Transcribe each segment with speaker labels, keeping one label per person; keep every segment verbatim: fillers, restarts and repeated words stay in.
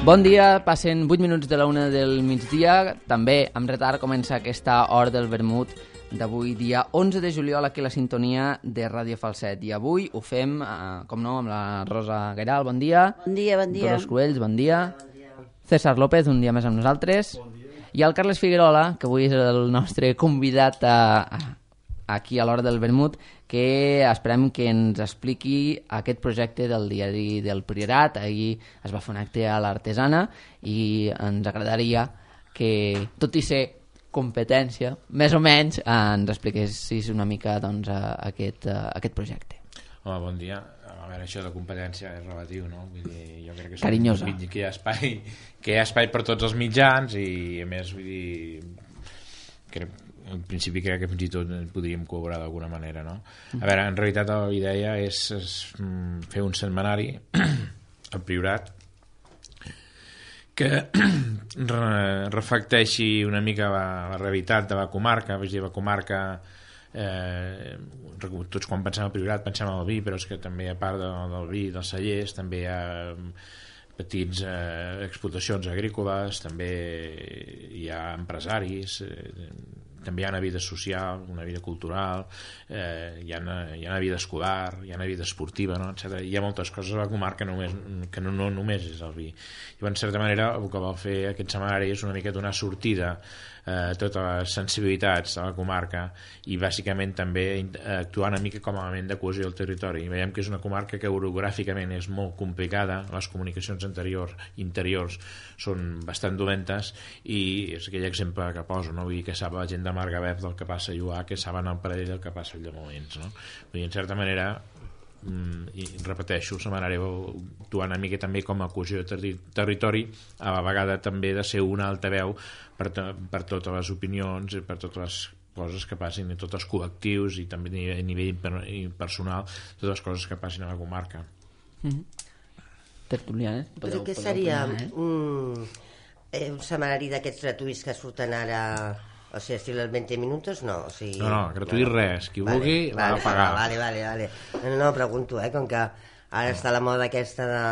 Speaker 1: Bon dia, passen vuit minuts de la una del migdia. També amb retard comença aquesta hora del vermut d'avui, dia onze de juliol, aquí a la sintonia de Ràdio Falset. I avui ho fem, eh, com no, amb la Rosa Gairal, bon dia.
Speaker 2: Bon dia, bon dia.
Speaker 1: Dolors Cruells, bon dia. Bon dia. César López, un dia més amb nosaltres. Bon dia. I el Carles Figuerola, que avui és el nostre convidat a, a, aquí a l'hora del vermut, que esperem que ens expliqui aquest projecte del diari del Priorat. Ahir es va fer un acte a l'Artesana i ens agradaria que, tot i ser competència, més o menys, ens expliquessis una mica doncs, aquest, aquest projecte.
Speaker 3: Home, bon dia. A veure, això de competència és relatiu, no? Vull dir, jo crec que
Speaker 1: carinyosa.
Speaker 3: Que hi ha espai, que hi ha espai per tots els mitjans i, a més, vull dir, crec, en principi crec que fins i tot podríem col·laborar d'alguna manera, no? A veure, en realitat la idea és, és fer un setmanari al Priorat que reflecteixi una mica la, la realitat de la comarca. Vull dir, la comarca, eh, tots quan pensem al Priorat pensem al vi, però és que també a part del, del vi, dels cellers, també hi ha petits eh, explotacions agrícoles, també hi ha empresaris, eh, també hi ha una vida social, una vida cultural, eh, hi, ha una, hi ha una vida escolar, hi ha una vida esportiva, no? etcètera. Hi ha moltes coses a la comarca només, que no, no només és el vi. I en certa manera el que vol fer aquest setmanari és una mica donar sortida a eh, totes les sensibilitats de la comarca i bàsicament també actuar una mica com a element de cohesió del territori. I veiem que és una comarca que orogràficament és molt complicada, les comunicacions anteriors, interiors són bastant dolentes i és aquell exemple que poso, no? Vull dir que sap la gent de Margalef del que passa a Lluà, que saben al Pradell del que passa a Llamolins, no? Vull dir, en certa manera, i repeteixo, el setmanari actuar una mica també com a cohesió de territori, a la vegada també de ser una altaveu per, per totes les opinions i per totes les coses que passin, i tots els col·lectius i també a nivell personal, totes les coses que passin a la comarca.
Speaker 1: Mm-hmm. Tertulianes?
Speaker 2: Però què seria opinar, eh? un, eh, un setmanari d'aquests gratuïts que surten ara, o sigui, estil els vint minuts, no? O sigui,
Speaker 3: no, no, gratuït no. Res, qui
Speaker 2: vale,
Speaker 3: vulgui
Speaker 2: vale,
Speaker 3: l'ha de pagar.
Speaker 2: Vale, vale, vale. No, no, pregunto, eh, com que ara està la moda aquesta de...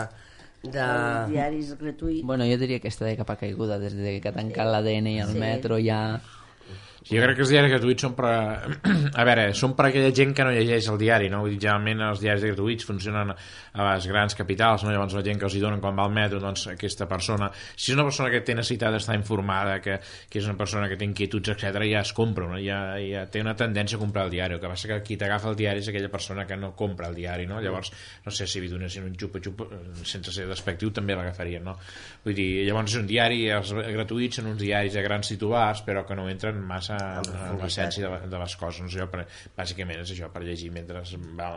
Speaker 2: de...
Speaker 4: Els diaris gratuïts.
Speaker 1: Bueno, jo diria que està de capa caiguda des de que ha tancat l'A D N i el sí. metro ja...
Speaker 3: Sí, jo crec que els diaris gratuïts són per... A veure, són per aquella gent que no llegeix el diari, no? Vull dir, generalment els diaris gratuïts funcionen a les grans capitals, no? Llavors la gent que els hi donen quan va al metro, doncs aquesta persona... Si és una persona que té necessitat d'estar informada, que, que és una persona que té inquietuds, etcètera, ja es compra, no? Ja, ja té una tendència a comprar el diari. El que passa que qui t'agafa el diari és aquella persona que no compra el diari, no? Llavors, no sé si li donessin un xupa-xupa, sense ser despectiu, també l'agafarien, no? Vull dir, llavors és un diari, els gratuïts són uns diaris de grans titulars, però que no entren massa en l'essència de, de les coses, no sé, per, bàsicament és això, per llegir mentre va,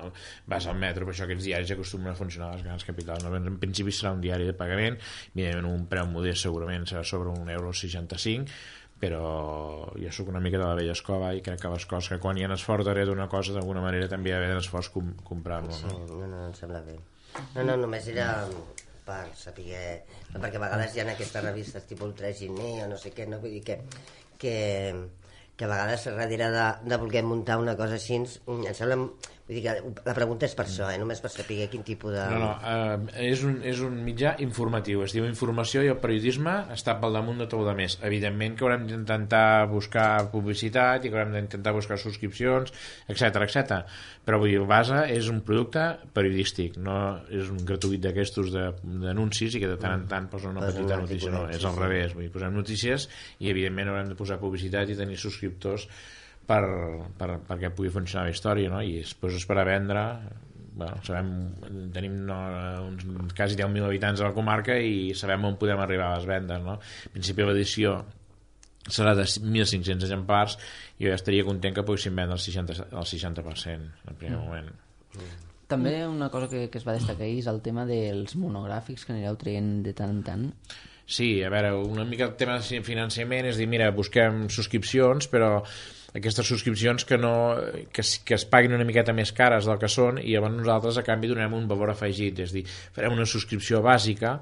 Speaker 3: vas al metro. Per això aquests diaris acostumen a funcionar a les grans capitals, no? En principi serà un diari de pagament, evidentment un preu modest segurament serà sobre un euro seixanta-cinc, però jo sóc una mica de la vella escola i crec que les coses que quan hi ha esforç darrere d'una cosa d'alguna manera també hi ha d'haver esforç com, comprar-lo, no?
Speaker 2: Sí, no, no, em sembla bé. No, no, només era per saber... Perquè a vegades hi ha aquestes revistes tipus el tres Giner o no sé què, no? Vull dir que, que, que a vegades darrere de, de voler muntar una cosa així, em sembla... Vull dir que la pregunta és per això, eh? Només per saber quin tipus de...
Speaker 3: No, no, eh, és, un, és un mitjà informatiu, es diu informació i el periodisme està pel damunt de tot el més. Evidentment que haurem d'intentar buscar publicitat i que haurem d'intentar buscar subscripcions, etcètera, etcètera. Però vull dir, el base és un producte periodístic, no és un gratuït d'aquestos d'anuncis i que de tant en tant posa una petita notícia, no, és al revés. Vull dir, posem notícies i evidentment haurem de posar publicitat i tenir subscriptors per, per, perquè pugui funcionar la història, no? I després és per a vendre. Bueno, sabem, tenim no, uns quasi deu mil habitants a la comarca i sabem on podem arribar a les vendes, no? En principi l'edició serà de mil cinc-cents exemplars i jo ja estaria content que poguéssim vendre el seixanta, el seixanta per cent en primer mm. moment. Mm.
Speaker 1: També una cosa que, que es va destacar ahir és el tema dels monogràfics que anireu traient de tant en tant.
Speaker 3: Sí, a veure, una mica el tema de finançament és dir, mira, busquem subscripcions, però aquestes subscripcions que, no, que, que es paguin una miqueta més cares del que són i llavors nosaltres a canvi donarem un valor afegit, és dir, farem una subscripció bàsica,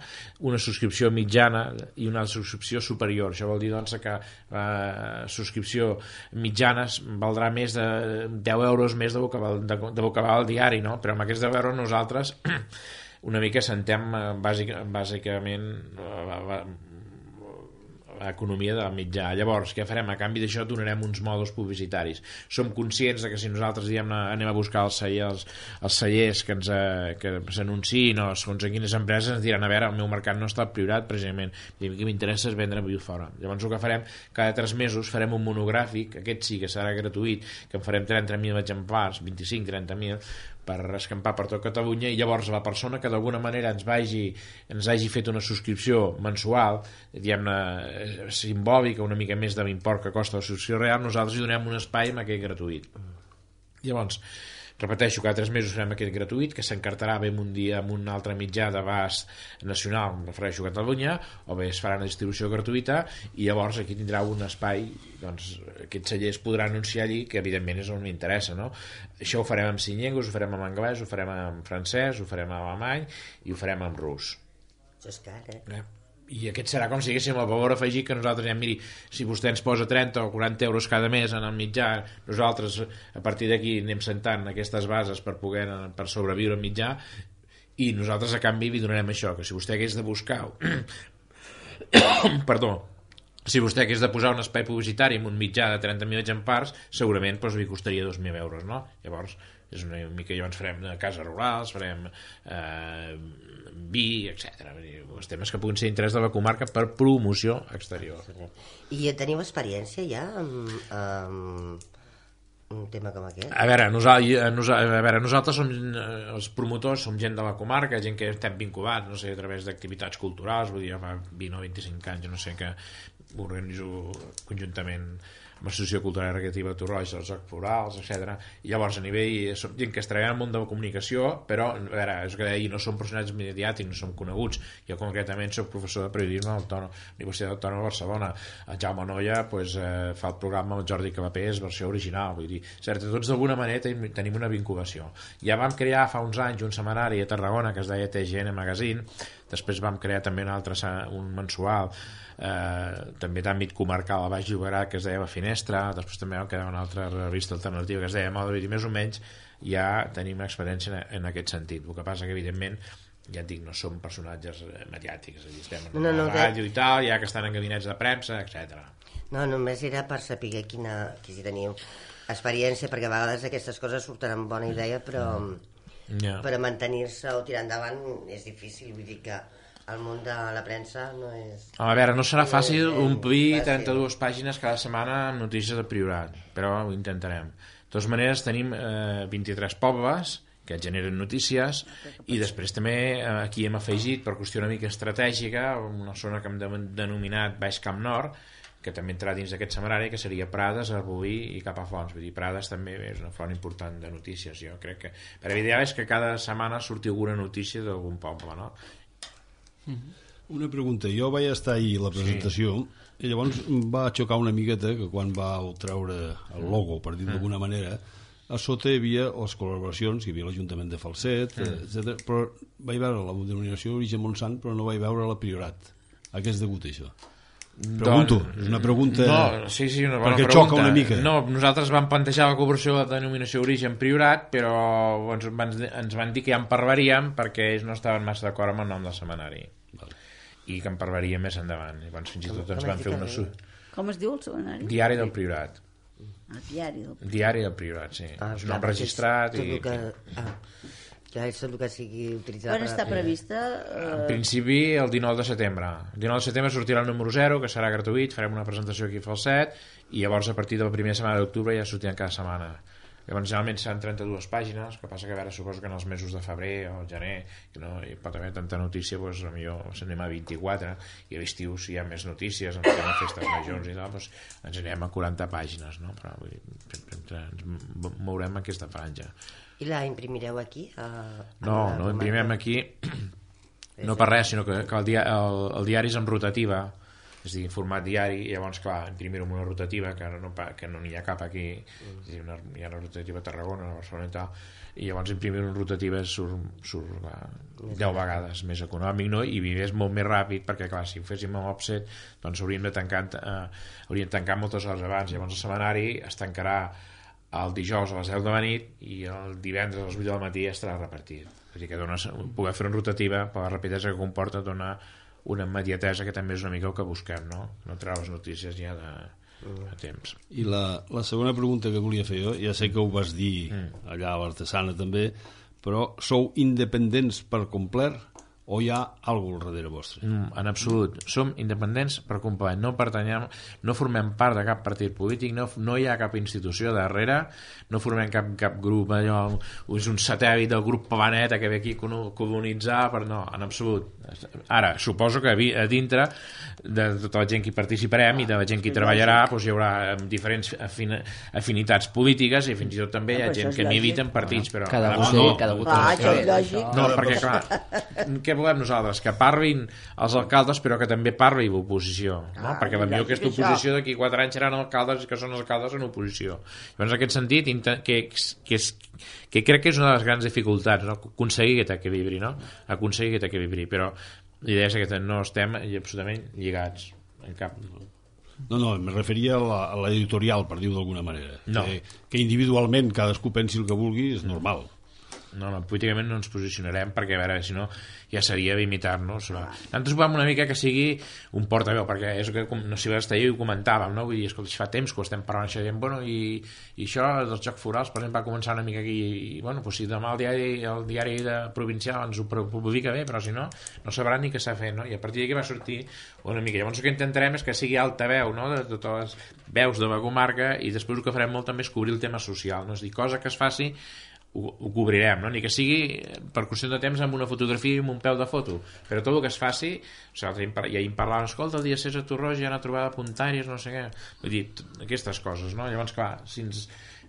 Speaker 3: una subscripció mitjana i una subscripció superior. Això vol dir doncs, que la eh, subscripció mitjana valdrà més de deu euros més de vocabal, de, de vocabal diari, no? Però amb aquests deu euros nosaltres una mica sentem bàsic, bàsicament l'economia del mitjà. Llavors, què farem? A canvi d'això donarem uns mòduls publicitaris. Som conscients de que si nosaltres diem, anem a buscar els cellers, els cellers que ens que s'anunciïn o segons en quines empreses ens diran, a veure, el meu mercat no està priorat precisament, i a mi que m'interessa és vendre viu fora. Llavors el que farem, cada tres mesos farem un monogràfic, aquest sí que serà gratuït, que en farem trenta mil exemplars, vint-i-cinc a trenta mil, per escampar per tot Catalunya, i llavors la persona que d'alguna manera ens vagi ens hagi fet una subscripció mensual, diguem-ne simbòlica, una mica més de l'import que costa la subscripció real, nosaltres hi donem un espai amb aquest gratuït. Llavors, repeteixo, cada tres mesos farem aquest gratuït, que s'encartarà bé un dia amb un altre mitjà d'abast nacional, em refereixo a Catalunya, o bé es farà una distribució gratuïta, i llavors aquí tindrà un espai, doncs aquests cellers podran anunciar allí, que evidentment és on m'interessa, no? Això ho farem en cinc llengües, ho farem en anglès, ho farem en francès, ho farem en alemany i ho farem en rus.
Speaker 2: Això és car, eh?
Speaker 3: eh? I aquest serà com si haguéssim el valor afegit que nosaltres diem, miri, si vostè ens posa trenta o quaranta euros cada mes en el mitjà, nosaltres a partir d'aquí anem sentant aquestes bases per poder per sobreviure al mitjà, i nosaltres a canvi li donarem això, que si vostè hagués de buscar perdó si vostè hagués de posar un espai publicitari en un mitjà de trenta mil exemplars, segurament doncs, li costaria dos mil euros, no? Llavors és una mica, llavors farem cases rurals, farem eh, vi, etcètera. Els temes que puguin ser d'interès de la comarca per promoció exterior.
Speaker 2: I teniu experiència ja amb, amb un tema com aquest?
Speaker 3: A veure, nosaltres, a veure, nosaltres som els promotors, som gent de la comarca, gent que estem vinculats, no sé, a través d'activitats culturals, vull dir, fa vint o vint-i-cinc anys, no sé, que organitzo conjuntament amb l'Associació Cultural i Recreativa de Torroja, els Jocs Florals, etcètera. I llavors a nivell, som gent que es treballa en el món de la comunicació, però a veure, és que ahir no som personatges mediàtics, no som coneguts. Jo concretament soc professor de periodisme a la Universitat Autònoma de Barcelona. El Jaume Noia pues, eh, fa el programa amb el Jordi Cavapés, versió original, vull dir, cert, tots d'alguna manera tenim, tenim una vinculació. Ja vam crear fa uns anys un setmanari a Tarragona que es deia T G N Magazine, després vam crear també un altre un mensual eh, també d'àmbit comarcal a Baix Llobregat que es deia La Finestra, després també vam crear una altra revista alternativa que es deia Moda, i més o menys ja tenim experiència en, en aquest sentit. El que passa que evidentment ja et dic, no som personatges mediàtics, és a dir, estem en no, no, la ràdio de... i tal, ja que estan en gabinets de premsa, etcètera.
Speaker 2: No, només era per saber quina, que si teniu experiència, perquè a vegades aquestes coses surten amb bona idea, però yeah. per mantenir-se o tirar endavant és difícil, vull dir que el món de la premsa no és...
Speaker 3: A veure, no serà fàcil no omplir trenta-dues pàgines cada setmana amb notícies de Priorat, però ho intentarem. De totes maneres, tenim eh, vint-i-tres pobles que generen notícies i després també eh, aquí hem afegit, per qüestió una mica estratègica, una zona que hem denominat Baix Camp Nord, que també entrarà dins d'aquest semanari, que seria Prades, Arbolí i cap a Fonts. Vull dir, Prades també és una font important de notícies. Jo crec que... Per l'ideal és que cada setmana surti alguna notícia d'algun poble, no?
Speaker 4: Una pregunta. Jo vaig estar ahir a la presentació sí. i llavors va xocar una miqueta que quan vau treure el logo, per dir d'alguna manera, a sota hi havia les col·laboracions, hi havia l'Ajuntament de Falset, mm. etcètera. Però vaig veure la denominació d'origen Montsant, però no vaig veure la Priorat. A què és degut això? Pregunto, doncs, és una pregunta...
Speaker 3: No, sí, sí, una bona
Speaker 4: perquè
Speaker 3: pregunta.
Speaker 4: xoca una mica.
Speaker 3: No, nosaltres vam plantejar la col·laboració de denominació d'origen Priorat, però ens van, ens van dir que ja en parlaríem perquè ells no estaven massa d'acord amb el nom del setmanari. Vale. I que en parlaríem més endavant. I doncs, fins i tot ens van fer una...
Speaker 5: Com es diu el setmanari?
Speaker 3: Diari del Priorat.
Speaker 5: Ah, diari del Priorat.
Speaker 3: Diari del Priorat, sí.
Speaker 2: Ah,
Speaker 3: és un nom registrat
Speaker 2: tot
Speaker 3: i...
Speaker 2: Que... Ah. Ja és tot el que sigui utilitzat...
Speaker 5: Quan està prevista?
Speaker 3: Eh... En principi el dinou de setembre. El dinou de setembre sortirà el número zero, que serà gratuït, farem una presentació aquí a Falset, i llavors a partir de la primera setmana d'octubre ja sortiran cada setmana. Llavors generalment seran trenta-dues pàgines, que passa que a veure, suposo que en els mesos de febrer o gener, que no hi pot haver tanta notícia, doncs potser s'anem a vint-i-quatre, i a l'estiu si hi ha més notícies, ens anem a festes majors i tal, doncs ens anem a quaranta pàgines, no? Però vull dir, sempre ens mourem en aquesta franja.
Speaker 2: I la imprimireu aquí? A, a
Speaker 3: no, no imprimem aquí no per res, sinó que, que el, dia, el, el diari és en rotativa, és a dir, en format diari, i llavors, clar, imprimir-ho en una rotativa, que no, que no n'hi ha cap aquí, mm. és a dir, una, hi ha una rotativa a Tarragona, a Barcelona i tal, i llavors imprimir-ho en rotativa surt, surt clar, deu vegades més econòmic, no? I és molt més ràpid, perquè, clar, si ho féssim amb offset, doncs hauríem de tancar, eh, hauríem de tancar moltes hores abans, llavors el setmanari es tancarà el dijous a les deu de la nit i el divendres a les vuit de la matí estarà repartit. És a dir, que dona, poder fer una rotativa per la rapidesa que comporta donar una immediatesa que també és una mica el que busquem, no? No treure les notícies ja de, de temps.
Speaker 4: I la, la segona pregunta que volia fer jo, ja sé que ho vas dir mm. allà a l'Artesana també, però sou independents per complet o hi ha alguna cosa al darrere vostre?
Speaker 3: Mm, en absolut. Som independents per complet. No pertanyem, no formem part de cap partit polític, no, no hi ha cap institució darrere, no formem cap, cap grup, allò, és un satèl·lit del grup Planeta que ve aquí a colonitzar, però no, en absolut. Ara, suposo que a dintre de tota la gent que hi participarem i de la gent que hi treballarà, doncs hi haurà diferents afin afinitats polítiques i fins i tot també hi ha gent que milita en partits, però...
Speaker 1: Cada voter, no, cada voter.
Speaker 5: Ah, això és lògic.
Speaker 3: No, perquè clar, què volem nosaltres? Que parlin els alcaldes però que també parli l'oposició, no? Perquè potser aquesta oposició d'aquí quatre anys seran alcaldes que són alcaldes en oposició. Llavors en aquest sentit que, que, és, que crec que és una de les grans dificultats, no? Aconseguir aquest equilibri, no? Aconseguir aquest equilibri, però l'idea és que no estem absolutament lligats en cap...
Speaker 4: No, no, em referia a l'editorial, per dir-ho d'alguna manera.
Speaker 3: No.
Speaker 4: Que, que individualment cadascú pensi el que vulgui és normal.
Speaker 3: No, no, políticament no ens posicionarem perquè, a veure, si no ja seria limitar-nos. Nosaltres volem una mica que sigui un portaveu, perquè és que, no sé si vas estar ahir i ho comentàvem, no? Vull dir, escolta, fa temps que ho estem parlant això, dient, bueno, i, i això dels jocs florals, per exemple, va començar una mica aquí, i, bueno, doncs si demà el diari, el diari de provincial ens ho publica bé, però si no, no sabran ni què s'ha fet, no? I a partir d'aquí va sortir una mica. Llavors el que intentarem és que sigui altaveu, no?, de totes les veus de la comarca, i després el que farem molt també és cobrir el tema social, no? És dir, cosa que es faci Ho, ho cobrirem, no? Ni que sigui per qüestió de temps amb una fotografia i amb un peu de foto, però tot el que es faci, o sigui, ja hi parlàvem, escolta, el dia sis a Torroja hi ha una trobada de puntaris, no sé què, vull dir, aquestes coses, no? Llavors, clar, si ens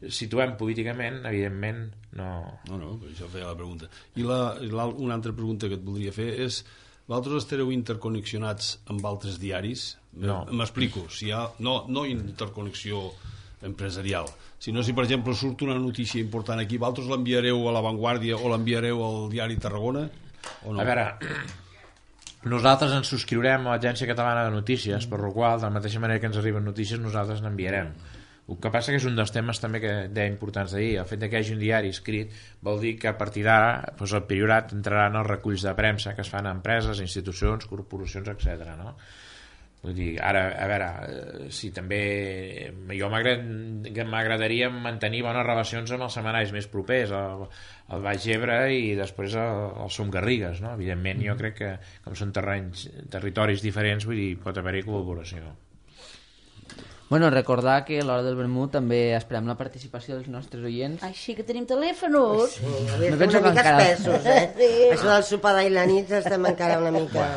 Speaker 3: situem políticament, evidentment no...
Speaker 4: No, no, això feia la pregunta. I la, la, una altra pregunta que et voldria fer és, vosaltres estareu interconnexionats amb altres diaris?
Speaker 3: No.
Speaker 4: M'explico, si hi ha... No, no interconnexió empresarial, sinó si per exemple surt una notícia important aquí, vosaltres l'enviareu a La Vanguardia o l'enviareu al diari Tarragona o no?
Speaker 3: A veure, nosaltres ens subscriurem a l'Agència Catalana de Notícies, per la qual de la mateixa manera que ens arriben notícies nosaltres n'enviarem. El que passa que és un dels temes també que deia importants d'ahir, el fet que hi hagi un diari escrit vol dir que a partir d'ara doncs el Priorat entrarà en els reculls de premsa que es fan a empreses, institucions, corporacions, etcètera, no? Vull dir, ara, a veure, si també jo m'agradaria mantenir bones relacions amb els setmanaris més propers, el, el Baix Ebre i després el, el Som Garrigues, no? Evidentment jo crec que com són terrenys, territoris diferents, vull dir, pot haver-hi col·laboració.
Speaker 1: Bueno, recordar que a l'hora del vermut també esperem la participació dels nostres oients.
Speaker 5: Ai, sí que tenim telèfonos.
Speaker 2: Sí, no penso una mica encara... espessos, eh? Sí. Això del sopar d'ahir la nit estem encara una mica...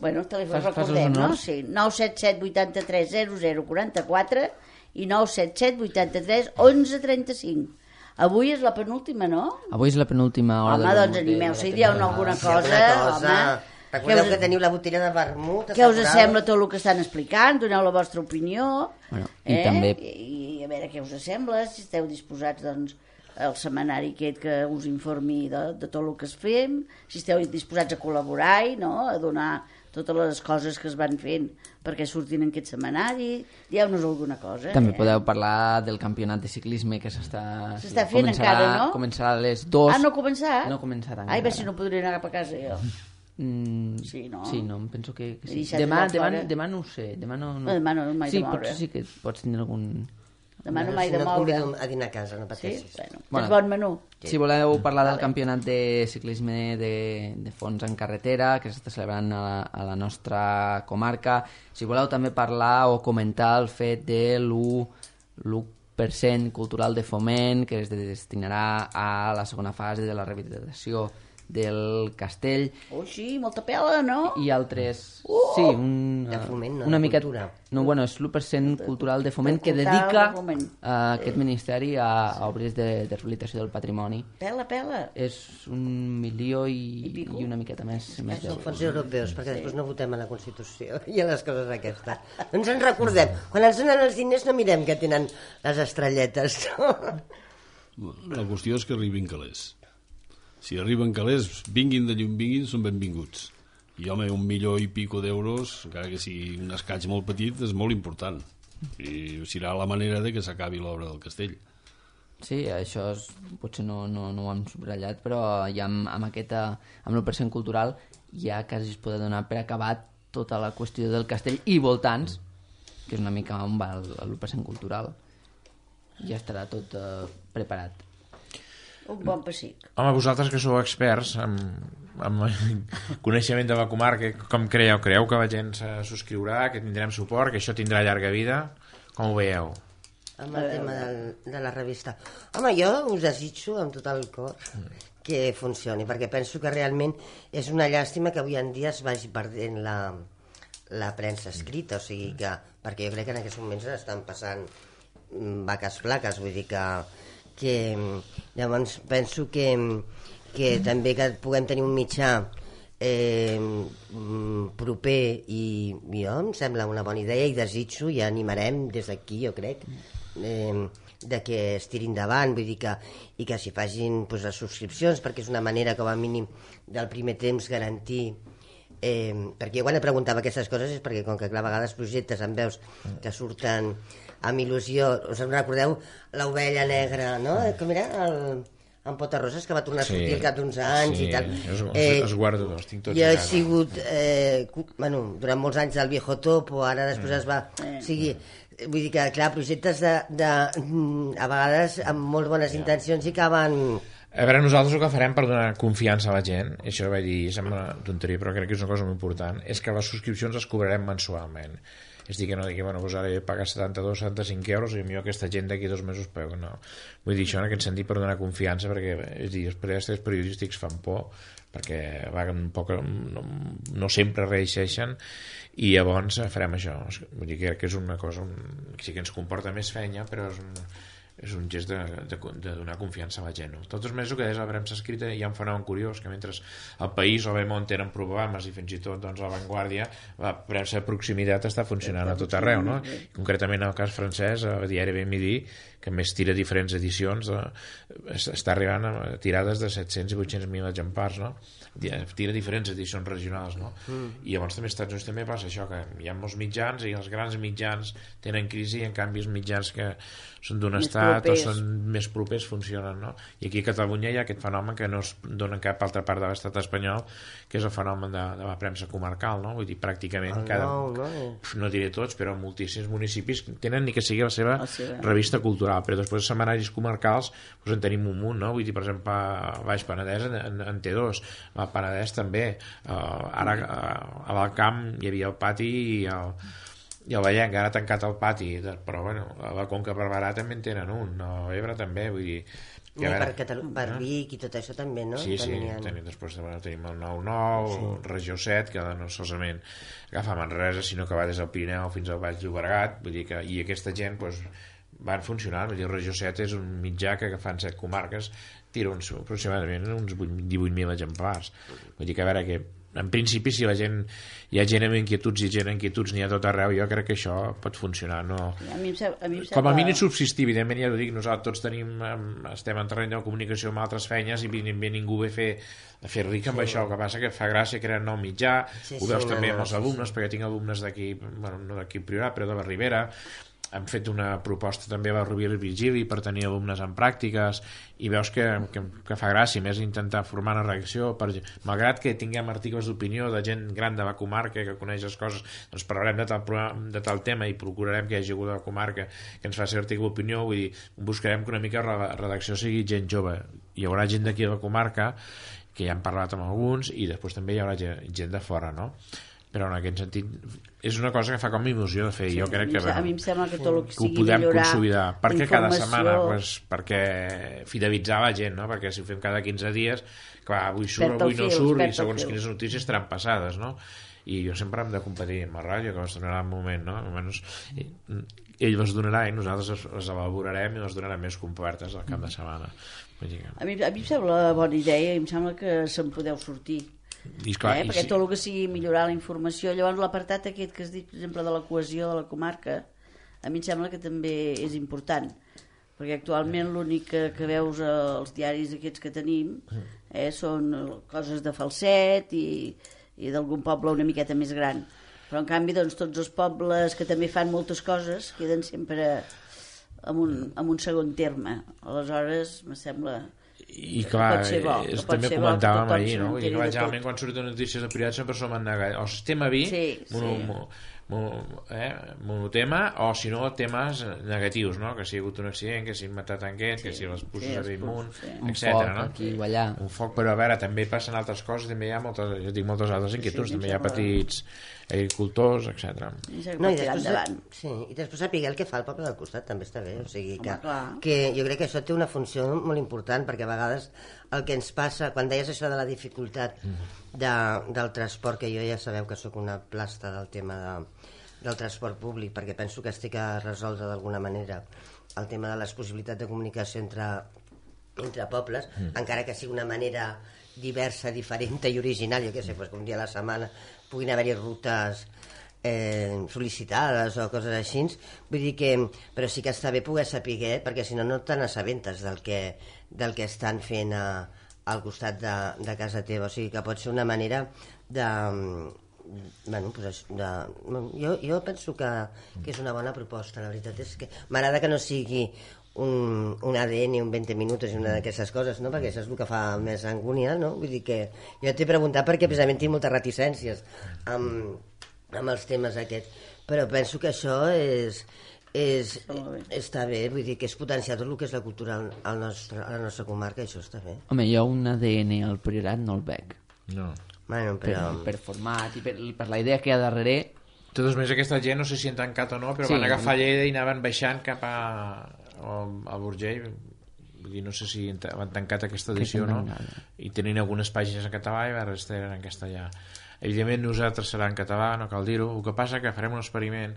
Speaker 5: Bueno, el telèfon recordem, no? Sí, nou set set vuitanta-tres zero zero quaranta-quatre i nou set set vuitanta-tres onze trenta-cinc. Avui és la penúltima, no?
Speaker 1: Avui és la penúltima hora.
Speaker 5: Home, doncs animeu-se i dieu alguna cosa, home.
Speaker 2: Recordeu que teniu la botella de vermut.
Speaker 5: Què us sembla tot el que estan explicant? Doneu la vostra opinió.
Speaker 1: Bueno, i també...
Speaker 5: I, a veure veure què us sembla, si esteu disposats, doncs, al setmanari aquest que us informi de, de tot el que es fem, si esteu disposats a col·laborar i no? A donar totes les coses que es van fent perquè surtin en aquest setmanari, dieu-nos alguna cosa.
Speaker 1: També
Speaker 5: eh?
Speaker 1: podeu parlar del campionat de ciclisme que s'està...
Speaker 5: S'està fent encara, no?
Speaker 1: Començarà a les dues.
Speaker 5: Ah, no ha començat?
Speaker 1: No ha començat encara.
Speaker 5: Ai, a veure si no podré anar cap a casa jo.
Speaker 1: Mm,
Speaker 5: sí, no?
Speaker 1: Sí, no, em penso que, que sí.
Speaker 5: He
Speaker 1: Demà,
Speaker 5: deixat
Speaker 1: demà,
Speaker 5: fora.
Speaker 1: demà no ho sé. Demà no, no.
Speaker 5: No, demà no m'he
Speaker 1: sí,
Speaker 5: de moure.
Speaker 1: potser sí que pots tindre algun...
Speaker 5: Demà no m'he
Speaker 2: Si
Speaker 5: de
Speaker 2: no et
Speaker 5: moure.
Speaker 2: convido a dinar a casa, no
Speaker 5: Sí?
Speaker 2: pateixis.
Speaker 5: Bueno,
Speaker 1: Bueno.
Speaker 5: tens bon menú.
Speaker 1: Si voleu parlar del campionat de ciclisme de, de fons en carretera que s'està celebrant a la, a la nostra comarca, si voleu també parlar o comentar el fet de l'u per cent cultural de foment que es destinarà a la segona fase de la rehabilitació del castell
Speaker 5: Oh, sí, molta pela, no?
Speaker 1: i altres...
Speaker 5: Uh!
Speaker 1: sí, un,
Speaker 2: De foment, no,
Speaker 1: una
Speaker 2: de
Speaker 1: mica...
Speaker 2: cultura.
Speaker 1: No, bueno, és l'u per cent cultural de foment que
Speaker 5: cultural
Speaker 1: dedica
Speaker 5: de foment.
Speaker 1: a aquest ministeri a, a obres de, de rehabilitació del patrimoni.
Speaker 5: Pela, pela.
Speaker 1: És un milió i,
Speaker 5: I pico.
Speaker 1: i una miqueta més. més
Speaker 2: Són
Speaker 1: d'euros.
Speaker 2: fons europeus, perquè després no votem a la Constitució i a les coses aquestes. No ens en recordem. Quan ens donen els diners no mirem que tenen les estrelletes. No?
Speaker 4: La qüestió és que arribin calés. Si arriben calés, vinguin de llum vinguin, són benvinguts. I home, un milió i pico d'euros, encara que sigui un escaig molt petit, és molt important. I serà la manera de que s'acabi l'obra del castell.
Speaker 1: Sí, això és, potser no, no, no ho hem subratllat, però ja amb, amb, aquesta, amb l'u per cent cultural ja quasi es pot donar per acabat tota la qüestió del castell i voltants, que és una mica on va l'u per cent cultural. Ja estarà tot eh, preparat.
Speaker 5: Un bon pessic.
Speaker 3: Home, vosaltres que sou experts amb, amb coneixement de la comarca, com creieu? Creieu que la gent se subscriurà, que tindrem suport, que això tindrà llarga vida? Com ho veieu?
Speaker 2: Amb el tema del, de la revista. Home, jo us desitjo amb tot el cor que funcioni, perquè penso que realment és una llàstima que avui en dia es vagi perdent la, la premsa escrita, o sigui que, perquè jo crec que en aquests moments estan passant mm, vaques flaques, vull dir que que llavors penso que, que també que puguem tenir un mitjà eh, proper i, i jo em sembla una bona idea i desitjo i animarem des d'aquí, jo crec, eh, de que es tiri endavant, vull dir que, i que s'hi facin pues, les subscripcions, perquè és una manera com a mínim del primer temps garantir eh, perquè jo quan et preguntava aquestes coses és perquè com que clar, a vegades projectes em veus que surten amb il·lusió, us en recordeu l'ovella negra, no? Com era? El, en Potarroses, que va tornar a sortir
Speaker 3: Sí.
Speaker 2: al cap d'uns anys
Speaker 3: Sí,
Speaker 2: i tal.
Speaker 3: els- els- els guardo, els tinc tots
Speaker 2: Jo
Speaker 3: a
Speaker 2: he
Speaker 3: casa.
Speaker 2: sigut, eh, cu- bueno, durant molts anys del Viejo Topo, ara després es va... O sigui, vull dir que, clar, projectes de, de, a vegades amb molt bones intencions i acaben...
Speaker 3: A veure, nosaltres el que farem per donar confiança a la gent, i això vaig dir, sembla tonteria, però crec que és una cosa molt important, és que les subscripcions les cobrarem mensualment. És dir, que no digui, bueno, doncs ara he pagat setanta-dos, setanta-cinc euros i millor aquesta gent d'aquí dos mesos paga, no. Vull dir, això en aquest sentit per donar confiança, perquè, és dir, els periodistes periodístics fan por, perquè va, un poc, no, no sempre reeixeixen, i llavors farem això. Vull dir que, que és una cosa un, que sí que ens comporta més feina, però és un, és un gest de, de, de donar confiança a la gent. No? De totes maneres, el que deies la premsa escrita, hi ha un fenomen curiós, que mentre el País o Bemont tenen programes i fins i tot doncs, la Vanguardia, la premsa de proximitat està funcionant a tot arreu. No? Concretament, en el cas francès, el diari Ben Midi, que més tira diferents edicions, eh, està arribant a tirades de set-cents i vuit-cents mil exemplars, no? Tira diferents edicions regionals, no? Mm. I llavors també als Estats Units també passa això, que hi ha molts mitjans i els grans mitjans tenen crisi i en canvi els mitjans que són d'un estat propers. O són més propers funcionen, no? I aquí a Catalunya hi ha aquest fenomen que no es dona en cap altra part de l'estat espanyol, que és el fenomen de, de la premsa comarcal, no? Vull dir, pràcticament cada,
Speaker 2: no, no.
Speaker 3: no diré tots, però moltíssims municipis tenen ni que sigui la seva revista cultural, però després els setmanaris comarcals doncs en tenim un munt, no? Vull dir, per exemple, a Baix Penedès en, en, en té dos, al Penedès també, uh, ara uh, a l'Alcamp hi havia el pati i el, i el Vallenc, ara ha tancat el pati, però bueno, a la Conca Barberà també en tenen un, a l'Ebre també, vull dir...
Speaker 2: I veure, per, Catalu per Vic i tot això també, no?
Speaker 3: Sí, sí,
Speaker 2: Tenien...
Speaker 3: tenim, després bueno, tenim el nou nou, sí. Regió set, que no solament agafa Manresa, sinó que va des del Pirineu fins al Baix Llobregat, vull dir que, i aquesta gent doncs, van funcionant, vull dir, Regió set és un mitjà que agafant set comarques tira uns, aproximadament uns divuit mil exemplars, vull dir que a veure que en principi, si la gent, hi ha gent amb inquietuds i gent amb inquietuds n'hi ha tot arreu, jo crec que això pot funcionar. No?
Speaker 5: A mi em sembla, a mi em sembla...
Speaker 3: Com a mínim subsistir, evidentment, ja ho dic, nosaltres tots tenim, estem en terreny de comunicació amb altres feines i evidentment ningú ve a fer, a fer ric amb sí. això, el que passa que fa gràcia crear nou mitjà, sí, ho veus sí, també no, amb els alumnes, sí, sí. perquè tinc alumnes d'aquí, bueno, no d'aquí Priorat, però de la Ribera, hem fet una proposta també a la Rovira i Virgili per tenir alumnes en pràctiques i veus que, que, que fa gràcia més intentar formar una reacció per, malgrat que tinguem articles d'opinió de gent gran de la comarca que coneix les coses, doncs parlarem de tal, de tal tema i procurarem que hi hagi algú de la comarca que ens faci article d'opinió, vull dir, buscarem que una mica la redacció sigui gent jove, hi haurà gent d'aquí de la comarca que ja hem parlat amb alguns i després també hi haurà gent de fora, no? Però en aquest sentit és una cosa que fa com il·lusió de fer, sí, jo crec que,
Speaker 5: a mi em sembla que tot el que sigui
Speaker 3: ho podem consolidar, perquè
Speaker 5: informació...
Speaker 3: cada setmana pues, perquè fidelitzar la gent, no? Perquè si ho fem cada quinze dies clar, avui surt, avui no surt i segons quines notícies estaran passades, no? I jo sempre hem de competir amb la ràdio que les donarà un moment, no? Almenys ell les donarà i nosaltres les elaborarem i les donarem més complertes al cap de setmana.
Speaker 5: A mi, a mi em sembla bona idea i em sembla que se'n podeu sortir.
Speaker 3: I clar,
Speaker 5: eh?
Speaker 3: i
Speaker 5: perquè
Speaker 3: sí.
Speaker 5: tot el que sigui millorar la informació, llavors l'apartat aquest que has dit, per exemple, de la cohesió de la comarca, a mi em sembla que també és important, perquè actualment l'únic que, que veus als diaris aquests que tenim eh, són coses de Falset i, i d'algun poble una miqueta més gran, però en canvi doncs, tots els pobles que també fan moltes coses queden sempre en un, en un segon terme. Aleshores me sembla...
Speaker 3: I clar,
Speaker 5: bo,
Speaker 3: és, també comentàvem ahir, no? I clar, generalment quan surten notícies de Priorat sempre som en negatiu, o sistema vi
Speaker 5: sí,
Speaker 3: mono,
Speaker 5: sí.
Speaker 3: Mono, mono, eh, monotema, o si no temes negatius, no? Que si ha hagut un accident, que si han matat en aquest, sí, que si les pusses sí, a Bellmunt,
Speaker 1: sí.
Speaker 3: etcètera.
Speaker 1: Un foc aquí o allà,
Speaker 3: un foc, però a veure, també passen altres coses, també hi ha moltes, jo dic moltes altres inquietuds, sí, també hi ha petits agricultors, etcètera.
Speaker 5: No, i després,
Speaker 2: sí, i després saber el que fa el poble del costat també està bé, o sigui que, que jo crec que això té una funció molt important, perquè a vegades el que ens passa, quan deies això de la dificultat de, del transport, que jo ja sabeu que sóc una plasta del tema de, del transport públic, perquè penso que es té que resoldre d'alguna manera el tema de les possibilitats de comunicació entre, entre pobles, mm. encara que sigui una manera diversa, diferent i original, jo què sé, pues, un dia a la setmana puguin haver-hi rutes eh, sol·licitades o coses així, vull dir que, però sí que està bé poder saber, perquè si no no te n'assabentes del que, del que estan fent a, al costat de, de casa teva, o sigui que pot ser una manera de... Bueno, pues de, jo, jo penso que, que és una bona proposta, la veritat és que m'agrada que no sigui un, un A D N, un vint minuts i una d'aquestes coses, no? Perquè això és el que fa més angúnia, no? Vull dir que jo t'he preguntat perquè precisament tinc moltes reticències amb, amb els temes aquests, però penso que això és, és, està bé, vull dir que és potenciar tot el que és la cultura al, al nostre, a la nostra comarca, això està bé.
Speaker 1: Home, jo un A D N al Priorat no el veig.
Speaker 3: No.
Speaker 2: Bueno, però...
Speaker 1: per, per format i per, per la idea que hi ha darrere.
Speaker 3: De totes maneres, aquesta gent no sé si han tancat o no, però sí. Van agafar Lleida i anaven baixant cap a al Burgell, vull dir, no sé si han tancat aquesta edició o no, i tenint algunes pàgines en català i la resta eren en castellà. Evidentment nosaltres serà en català, no cal dir-ho, el que passa que farem un experiment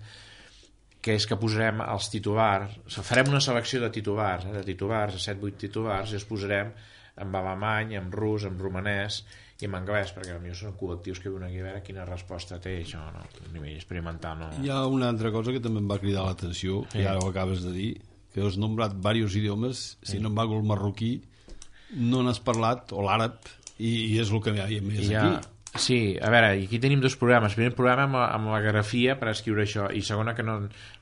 Speaker 3: que és que posarem els titulars, farem una selecció de titulars, eh, de titulars, set vuit titulars, i els posarem en alemany, en rus, en romanès i en anglès, perquè potser són col·lectius que viuen aquí a veure quina resposta té això, no? A nivell experimental. No?
Speaker 4: Hi ha una altra cosa que també em va cridar l'atenció, sí. Que ara ho acabes de dir, que has nombrat diversos idiomes, si no em vago el marroquí, no n'has parlat, o l'àrab, i, i és el que hi ha més ja, aquí.
Speaker 3: Sí, a veure, aquí tenim dos programes. Primer programa amb, amb la grafia per escriure això, i segona que no,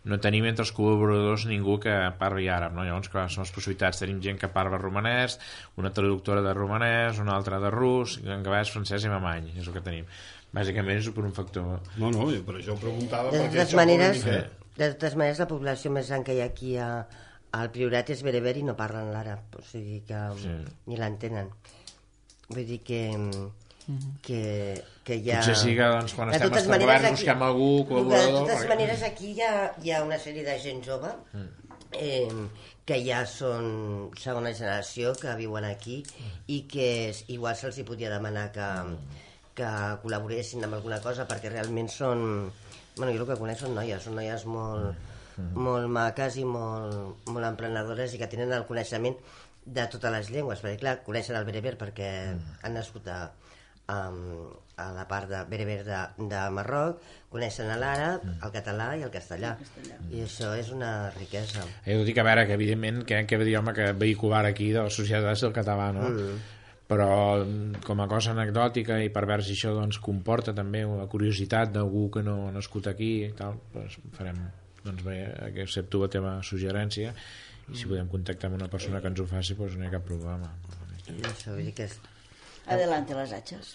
Speaker 3: no tenim entre els col·laboradors ningú que parli àrab, no? Llavors, clar, són les possibilitats. Tenim gent que parla romanès, una traductora de romanès, una altra de rus, anglès, francès i alemany, és el que tenim. Bàsicament és per un factor...
Speaker 4: No, no, per això ho preguntava.
Speaker 2: De totes maneres, de totes maneres, la població més gran que hi ha aquí a, al Priorat és bereber i no parlen l'àrab, o sigui que sí. Ni l'entenen. Vull dir que... que, que hi ha...
Speaker 3: Potser sí que doncs, quan estem als governs busquem algú col·laborador...
Speaker 2: De totes
Speaker 3: perquè...
Speaker 2: maneres, aquí hi ha, hi ha una sèrie de gent jove eh, que ja són segona generació, que viuen aquí i que igual se'ls hi podia demanar que, que col·laboressin amb alguna cosa, perquè realment són... Bueno, jo el que conec són noies, són noies molt, molt maques i molt, molt emprenedores i que tenen el coneixement de totes les llengües, perquè clar, coneixen el bereber perquè han nascut a, a, a la part de bereber de, de Marroc, coneixen l'àrab, el català i el castellà. El castellà. I això és una riquesa.
Speaker 3: Jo dic, a veure, que evidentment que aquest idioma que vehicular aquí de la societat és el català, no? Mm. Però com a cosa anecdòtica i per veure si això doncs, comporta també una curiositat d'algú que no ha nascut aquí i tal, doncs farem, doncs bé, que accepto la teva suggerència i si podem contactar amb una persona que ens ho faci, doncs no hi ha cap problema.
Speaker 2: I això vull dir que és...
Speaker 5: Adelante les atxes.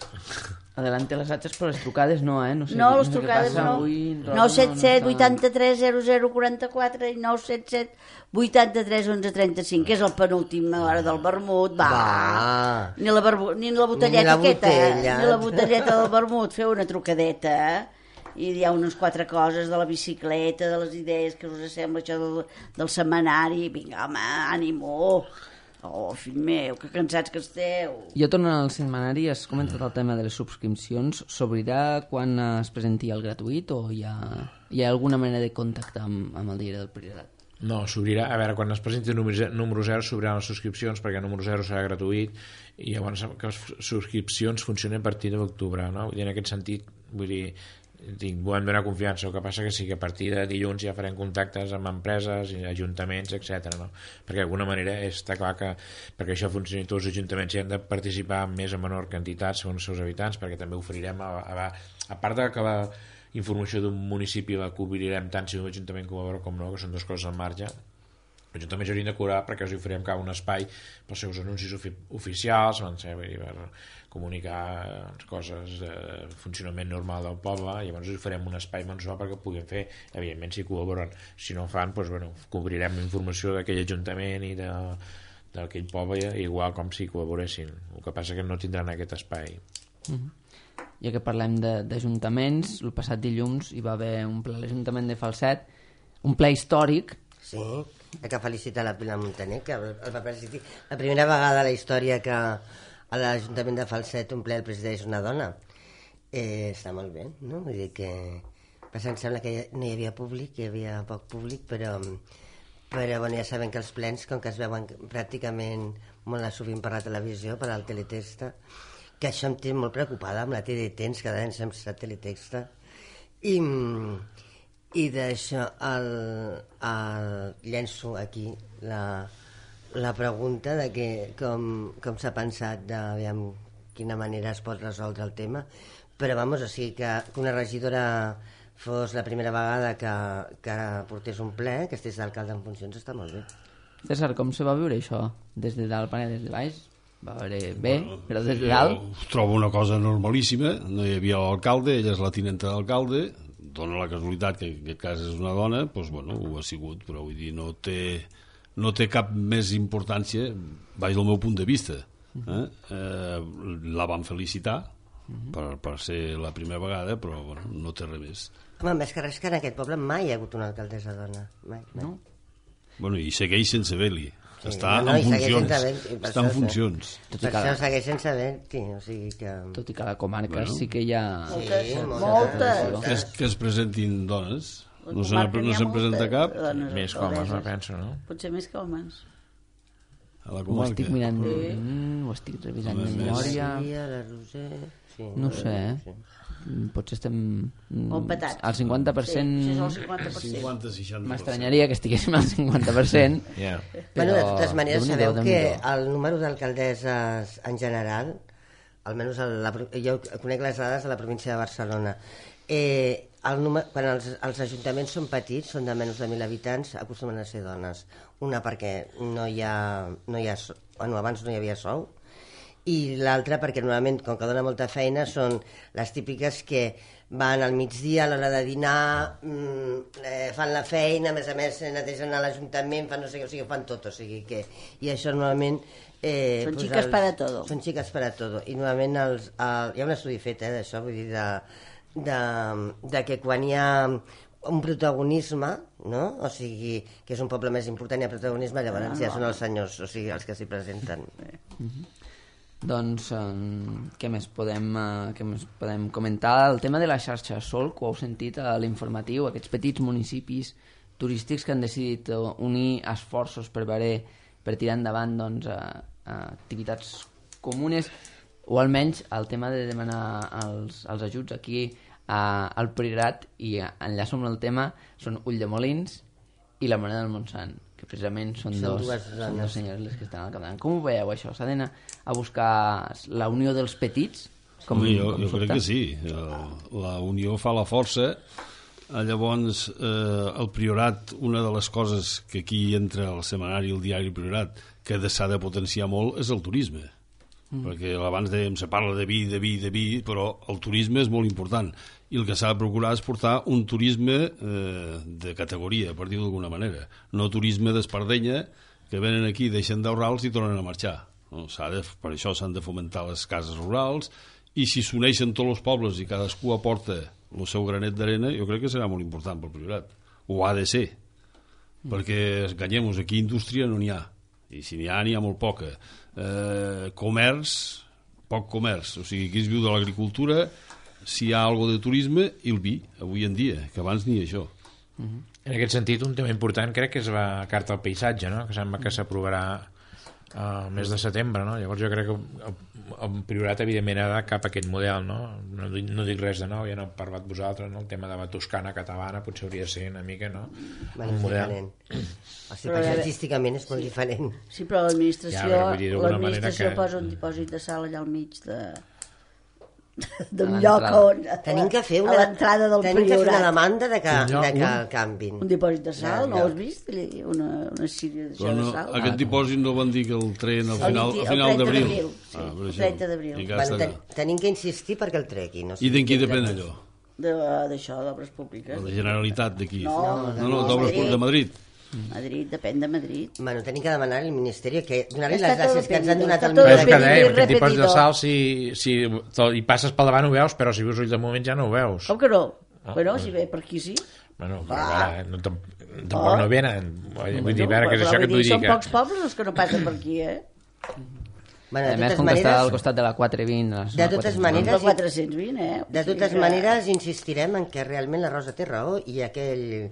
Speaker 1: Adelante les atxes, però les trucades no, eh? No, sé,
Speaker 5: no,
Speaker 1: no
Speaker 5: les
Speaker 1: sé
Speaker 5: trucades
Speaker 1: passa,
Speaker 5: no.
Speaker 1: Avui,
Speaker 5: nou set set vuitanta-tres zero zero quaranta-quatre i nou set set vuitanta-tres onze trenta-cinc, que és el penúltim a l'hora del vermut. Va!
Speaker 2: Va.
Speaker 5: Ni, la barbu... ni la botelleta
Speaker 2: ni la
Speaker 5: aquesta,
Speaker 2: botella.
Speaker 5: ni la botelleta del vermut. Feu una trucadeta, i hi ha unes quatre coses de la bicicleta, de les idees que us sembla això del, del setmanari. Vinga, home, ànimo! Oh, fill meu, que cansats que esteu.
Speaker 1: Jo tornant al setmanari, has comentat el tema de les subscripcions. S'obrirà quan es presenti el gratuït o hi ha, hi ha alguna manera de contactar amb, amb el diari del Priorat?
Speaker 3: No, s'obrirà, a veure, quan es presenti el número zero s'obriran les subscripcions perquè el número zero serà gratuït i llavors que les subscripcions funcionen a partir de l'octubre, no? I en aquest sentit, vull dir, tinc, volem donar confiança, el que passa que sí que a partir de dilluns ja farem contactes amb empreses i ajuntaments, etcètera, no? Perquè d'alguna manera està clar que perquè això funcioni tots els ajuntaments hi han de participar en més o menor quantitat segons els seus habitants, perquè també oferirem a, a, a part de que la informació d'un municipi la cobrirem tant si un ajuntament col·labora com no, que són dues coses al marge. Els ajuntaments haurien de cobrar perquè els oferirem cada un espai pels seus anuncis ofi oficials, per comunicar coses de funcionament normal del poble, i llavors us farem un espai mensual perquè puguem fer, evidentment si col·laboren, si no fan, doncs, bueno, cobrirem informació d'aquell ajuntament i de, d'aquell poble igual com si col·laboressin, el que passa que no tindran aquest espai.
Speaker 1: Mm-hmm. Ja que parlem d'ajuntaments, el passat dilluns hi va haver un ple a l'Ajuntament de Falset, un ple històric.
Speaker 2: Sí, hay que felicitar la Pilar Montaner, que el va presidir la primera vegada a la història que a l'Ajuntament de Falset un ple el presideix una dona. Eh, està molt bé, no? Vull dir que passa, em sembla que no hi havia públic, hi havia poc públic, però, però bueno, ja sabem que els plens, com que es veuen pràcticament molt sovint per la televisió, per al teletexta, que això em té molt preocupada amb la T D T, ens quedarem sense teletexta, i, i d'això el, el, llenço aquí la, la pregunta de que com, com s'ha pensat de aviam, quina manera es pot resoldre el tema, però vamos, o sigui que, que una regidora fos la primera vegada que, que portés un ple, que estigués d'alcalde en funcions, està molt bé.
Speaker 1: César, com se va viure això? Des de dalt, des de baix? Va veure bé, bueno, però des de dalt...
Speaker 4: Trobo una cosa normalíssima, no hi havia l'alcalde, ella és la tinenta d'alcalde, dona la casualitat que en aquest cas és una dona, doncs bueno, ho ha sigut, però vull dir, no té, no té cap més importància, vaig del meu punt de vista. Eh? Eh, la van felicitar per, per ser la primera vegada, però bueno, no té res més.
Speaker 2: Home, més que res que en aquest poble mai hi ha hagut una alcaldessa dona, mai, mai.
Speaker 4: No? Bueno, i segueix sense haver-li.
Speaker 2: Sí,
Speaker 4: està
Speaker 2: no,
Speaker 4: en
Speaker 2: no,
Speaker 4: funcions,
Speaker 2: està
Speaker 4: això, en funcions.
Speaker 2: Per això la... segueix sense haver-hi, o sigui que...
Speaker 1: Tot i que a la comarca
Speaker 4: bueno.
Speaker 1: sí que hi ha...
Speaker 2: Sí,
Speaker 5: moltes.
Speaker 4: Que es, que es presentin dones. No se'n no presenta cap.
Speaker 3: Més que homes, me penso, no?
Speaker 5: Potser més que homes.
Speaker 4: A la
Speaker 1: Ho
Speaker 4: comarca.
Speaker 1: estic mirant,
Speaker 5: Sí.
Speaker 1: mm, ho estic revisant de
Speaker 4: Home,
Speaker 1: memòria.
Speaker 2: La Roser... Sí,
Speaker 1: No ho sé, eh?
Speaker 2: Sí.
Speaker 1: Potser estem mm,
Speaker 5: Molt petats.
Speaker 1: al cinquanta per cent.
Speaker 5: Sí, sí, és el cinquanta per cent.
Speaker 4: cinquanta seixanta.
Speaker 1: M'estranyaria que estiguéssim al cinquanta per cent.
Speaker 3: Yeah.
Speaker 2: Bueno, de totes maneres,
Speaker 1: Déu-n'hi-do,
Speaker 2: sabeu que
Speaker 1: Déu-n'hi-do.
Speaker 2: el número d'alcaldesses en general, almenys el, la, jo conec les dades de la província de Barcelona, eh, el número, quan els, els ajuntaments són petits, són de menys de mil habitants, acostumen a ser dones. Una perquè no hi ha, no hi ha bueno, abans no hi havia sou, i l'altra perquè normalment, com que dona molta feina, són les típiques que van al migdia a l'hora de dinar, mmm, eh, fan la feina, a més a més netegen a l'Ajuntament, fan no sé què, o sigui, fan tot, o sigui que... I això normalment... Eh,
Speaker 5: Són
Speaker 2: pues
Speaker 5: xiques
Speaker 2: els,
Speaker 5: para todo.
Speaker 2: Són xiques para todo. I normalment els, el, hi ha un estudi fet eh, d'això, vull dir, de, de, de que quan hi ha un protagonisme, no? O sigui, que és un poble més important, hi ha protagonisme, llavors ah, ja són els senyors, o sigui, els que s'hi presenten.
Speaker 1: Mm-hmm. Doncs, eh, què més podem eh, què més podem comentar? El tema de la xarxa Solc, ho heu sentit a l'informatiu, aquests petits municipis turístics que han decidit unir esforços per veure, per tirar endavant doncs, eh, activitats comunes. o almenys el tema de demanar els, els ajuts aquí a, al Priorat, i enllaço amb el tema, són Ulldemolins i la Moneda del Montsant, que precisament són,
Speaker 2: Són
Speaker 1: dos,
Speaker 2: dues
Speaker 1: són
Speaker 2: zones.
Speaker 1: dos senyors les que estan al capdavant. Com ho veieu, això? S'ha d'anar a buscar la unió dels petits? Com,
Speaker 4: Home, jo,
Speaker 1: com
Speaker 4: jo crec que sí. La unió fa la força. Llavors, eh, el Priorat, una de les coses que aquí entra al setmanari, el diari Priorat, que s'ha de potenciar molt, és el turisme. Mm. Perquè abans dèiem, se parla de vi, de vi, de vi, però el turisme és molt important. I el que s'ha de procurar és portar un turisme eh, de categoria, per dir-ho d'alguna manera. No turisme d'espardenya, que venen aquí, deixen d'ahorrar-los i tornen a marxar. No? S'ha de, per això s'han de fomentar les cases rurals, i si s'uneixen tots els pobles i cadascú aporta el seu granet d'arena, jo crec que serà molt important pel Priorat. Ho ha de ser. Mm. Perquè, enganyem-nos, aquí indústria no n'hi ha. I si n'hi ha, n'hi ha molt poca. Eh, comerç, poc comerç. O sigui, aquí es viu de l'agricultura, si hi ha alguna de turisme, i el vi, avui en dia, que abans ni això.
Speaker 3: Mm-hmm. En aquest sentit, un tema important crec que és la Carta al Paisatge, no? Que sembla que s'aprovarà al mes de setembre, no? Llavors jo crec que el, el Priorat evidentment ha de cap a aquest model, no? No, no dic res de nou, ja no he parlat vosaltres, no? El tema de la toscana catalana potser hauria de ser una mica, no?
Speaker 2: Bueno,
Speaker 3: un model.
Speaker 2: diferent. O sigui, paisatgísticament és molt diferent.
Speaker 5: Sí, però l'administració
Speaker 3: Ja, però vull dir, d'alguna
Speaker 5: l'administració
Speaker 3: manera que-
Speaker 5: posa un dipòsit de sal allà al mig de d'un
Speaker 1: A
Speaker 5: lloc
Speaker 1: l'entrada.
Speaker 5: on...
Speaker 2: Tenim que fer
Speaker 5: a
Speaker 2: una,
Speaker 5: l'entrada del
Speaker 2: tenim que fer una
Speaker 5: Priorat.
Speaker 2: demanda de que,
Speaker 3: Un lloc,
Speaker 2: de que
Speaker 3: un-
Speaker 2: el canvin.
Speaker 5: Un dipòsit de sal,
Speaker 2: Ja,
Speaker 5: no
Speaker 2: ja.
Speaker 5: ho has vist? Una, una síria
Speaker 4: Però
Speaker 5: de
Speaker 4: no,
Speaker 5: sal.
Speaker 4: aquest dipòsit no van dir que el tren al
Speaker 5: El
Speaker 4: final,
Speaker 5: vint-
Speaker 4: al
Speaker 5: el
Speaker 4: final
Speaker 5: trenta
Speaker 4: d'abril.
Speaker 5: d'abril, sí,
Speaker 4: per
Speaker 5: el
Speaker 4: això.
Speaker 5: trenta d'abril.
Speaker 4: I, que
Speaker 2: Bueno,
Speaker 4: està-
Speaker 2: ten, tenim que insistir perquè el tregui. No
Speaker 4: I d'en qui depèn allò?
Speaker 5: De- D'això, d'obres públiques.
Speaker 4: De la Generalitat d'aquí?
Speaker 5: No,
Speaker 4: no, no,
Speaker 5: no,
Speaker 4: d'obres
Speaker 5: Madrid.
Speaker 4: de Madrid.
Speaker 5: Madrid, depèn de Madrid.
Speaker 2: Bueno, tenim que demanar al Ministeri que donar-li
Speaker 5: Està
Speaker 2: les gràcies
Speaker 5: tot
Speaker 2: que ens han
Speaker 5: pedido,
Speaker 2: donat
Speaker 5: està
Speaker 2: al
Speaker 5: tot
Speaker 3: Però és
Speaker 2: Ministeri.
Speaker 3: que dèiem, aquest dipòsit de
Speaker 5: repetido.
Speaker 3: sal, si, si to- hi passes pel davant ho veus, però si vius ull de moment ja no ho veus.
Speaker 5: Com que no?
Speaker 3: Ah,
Speaker 5: bueno,
Speaker 3: pues-
Speaker 5: si ve per aquí sí.
Speaker 3: Bueno, però
Speaker 5: Ah.
Speaker 3: ara, no, tam- tampoc
Speaker 5: Ah.
Speaker 3: no venen. Vull dir, a veure,
Speaker 5: Bueno,
Speaker 3: que és
Speaker 5: però
Speaker 3: això que
Speaker 5: vull
Speaker 3: t'ho
Speaker 5: dir, Són
Speaker 3: dic.
Speaker 5: pocs pobles els que no passen per aquí, eh?
Speaker 2: Bueno,
Speaker 1: A
Speaker 2: de
Speaker 1: més,
Speaker 2: totes
Speaker 1: com que està al
Speaker 2: maneres,
Speaker 1: costat de la quatre vint... la zona
Speaker 2: De totes
Speaker 1: quatre cents vint.
Speaker 2: maneres,
Speaker 5: De quatre-cents vint, eh?
Speaker 2: de
Speaker 5: O sigui
Speaker 2: totes
Speaker 5: que-
Speaker 2: maneres insistirem en que realment la Rosa té raó i aquell,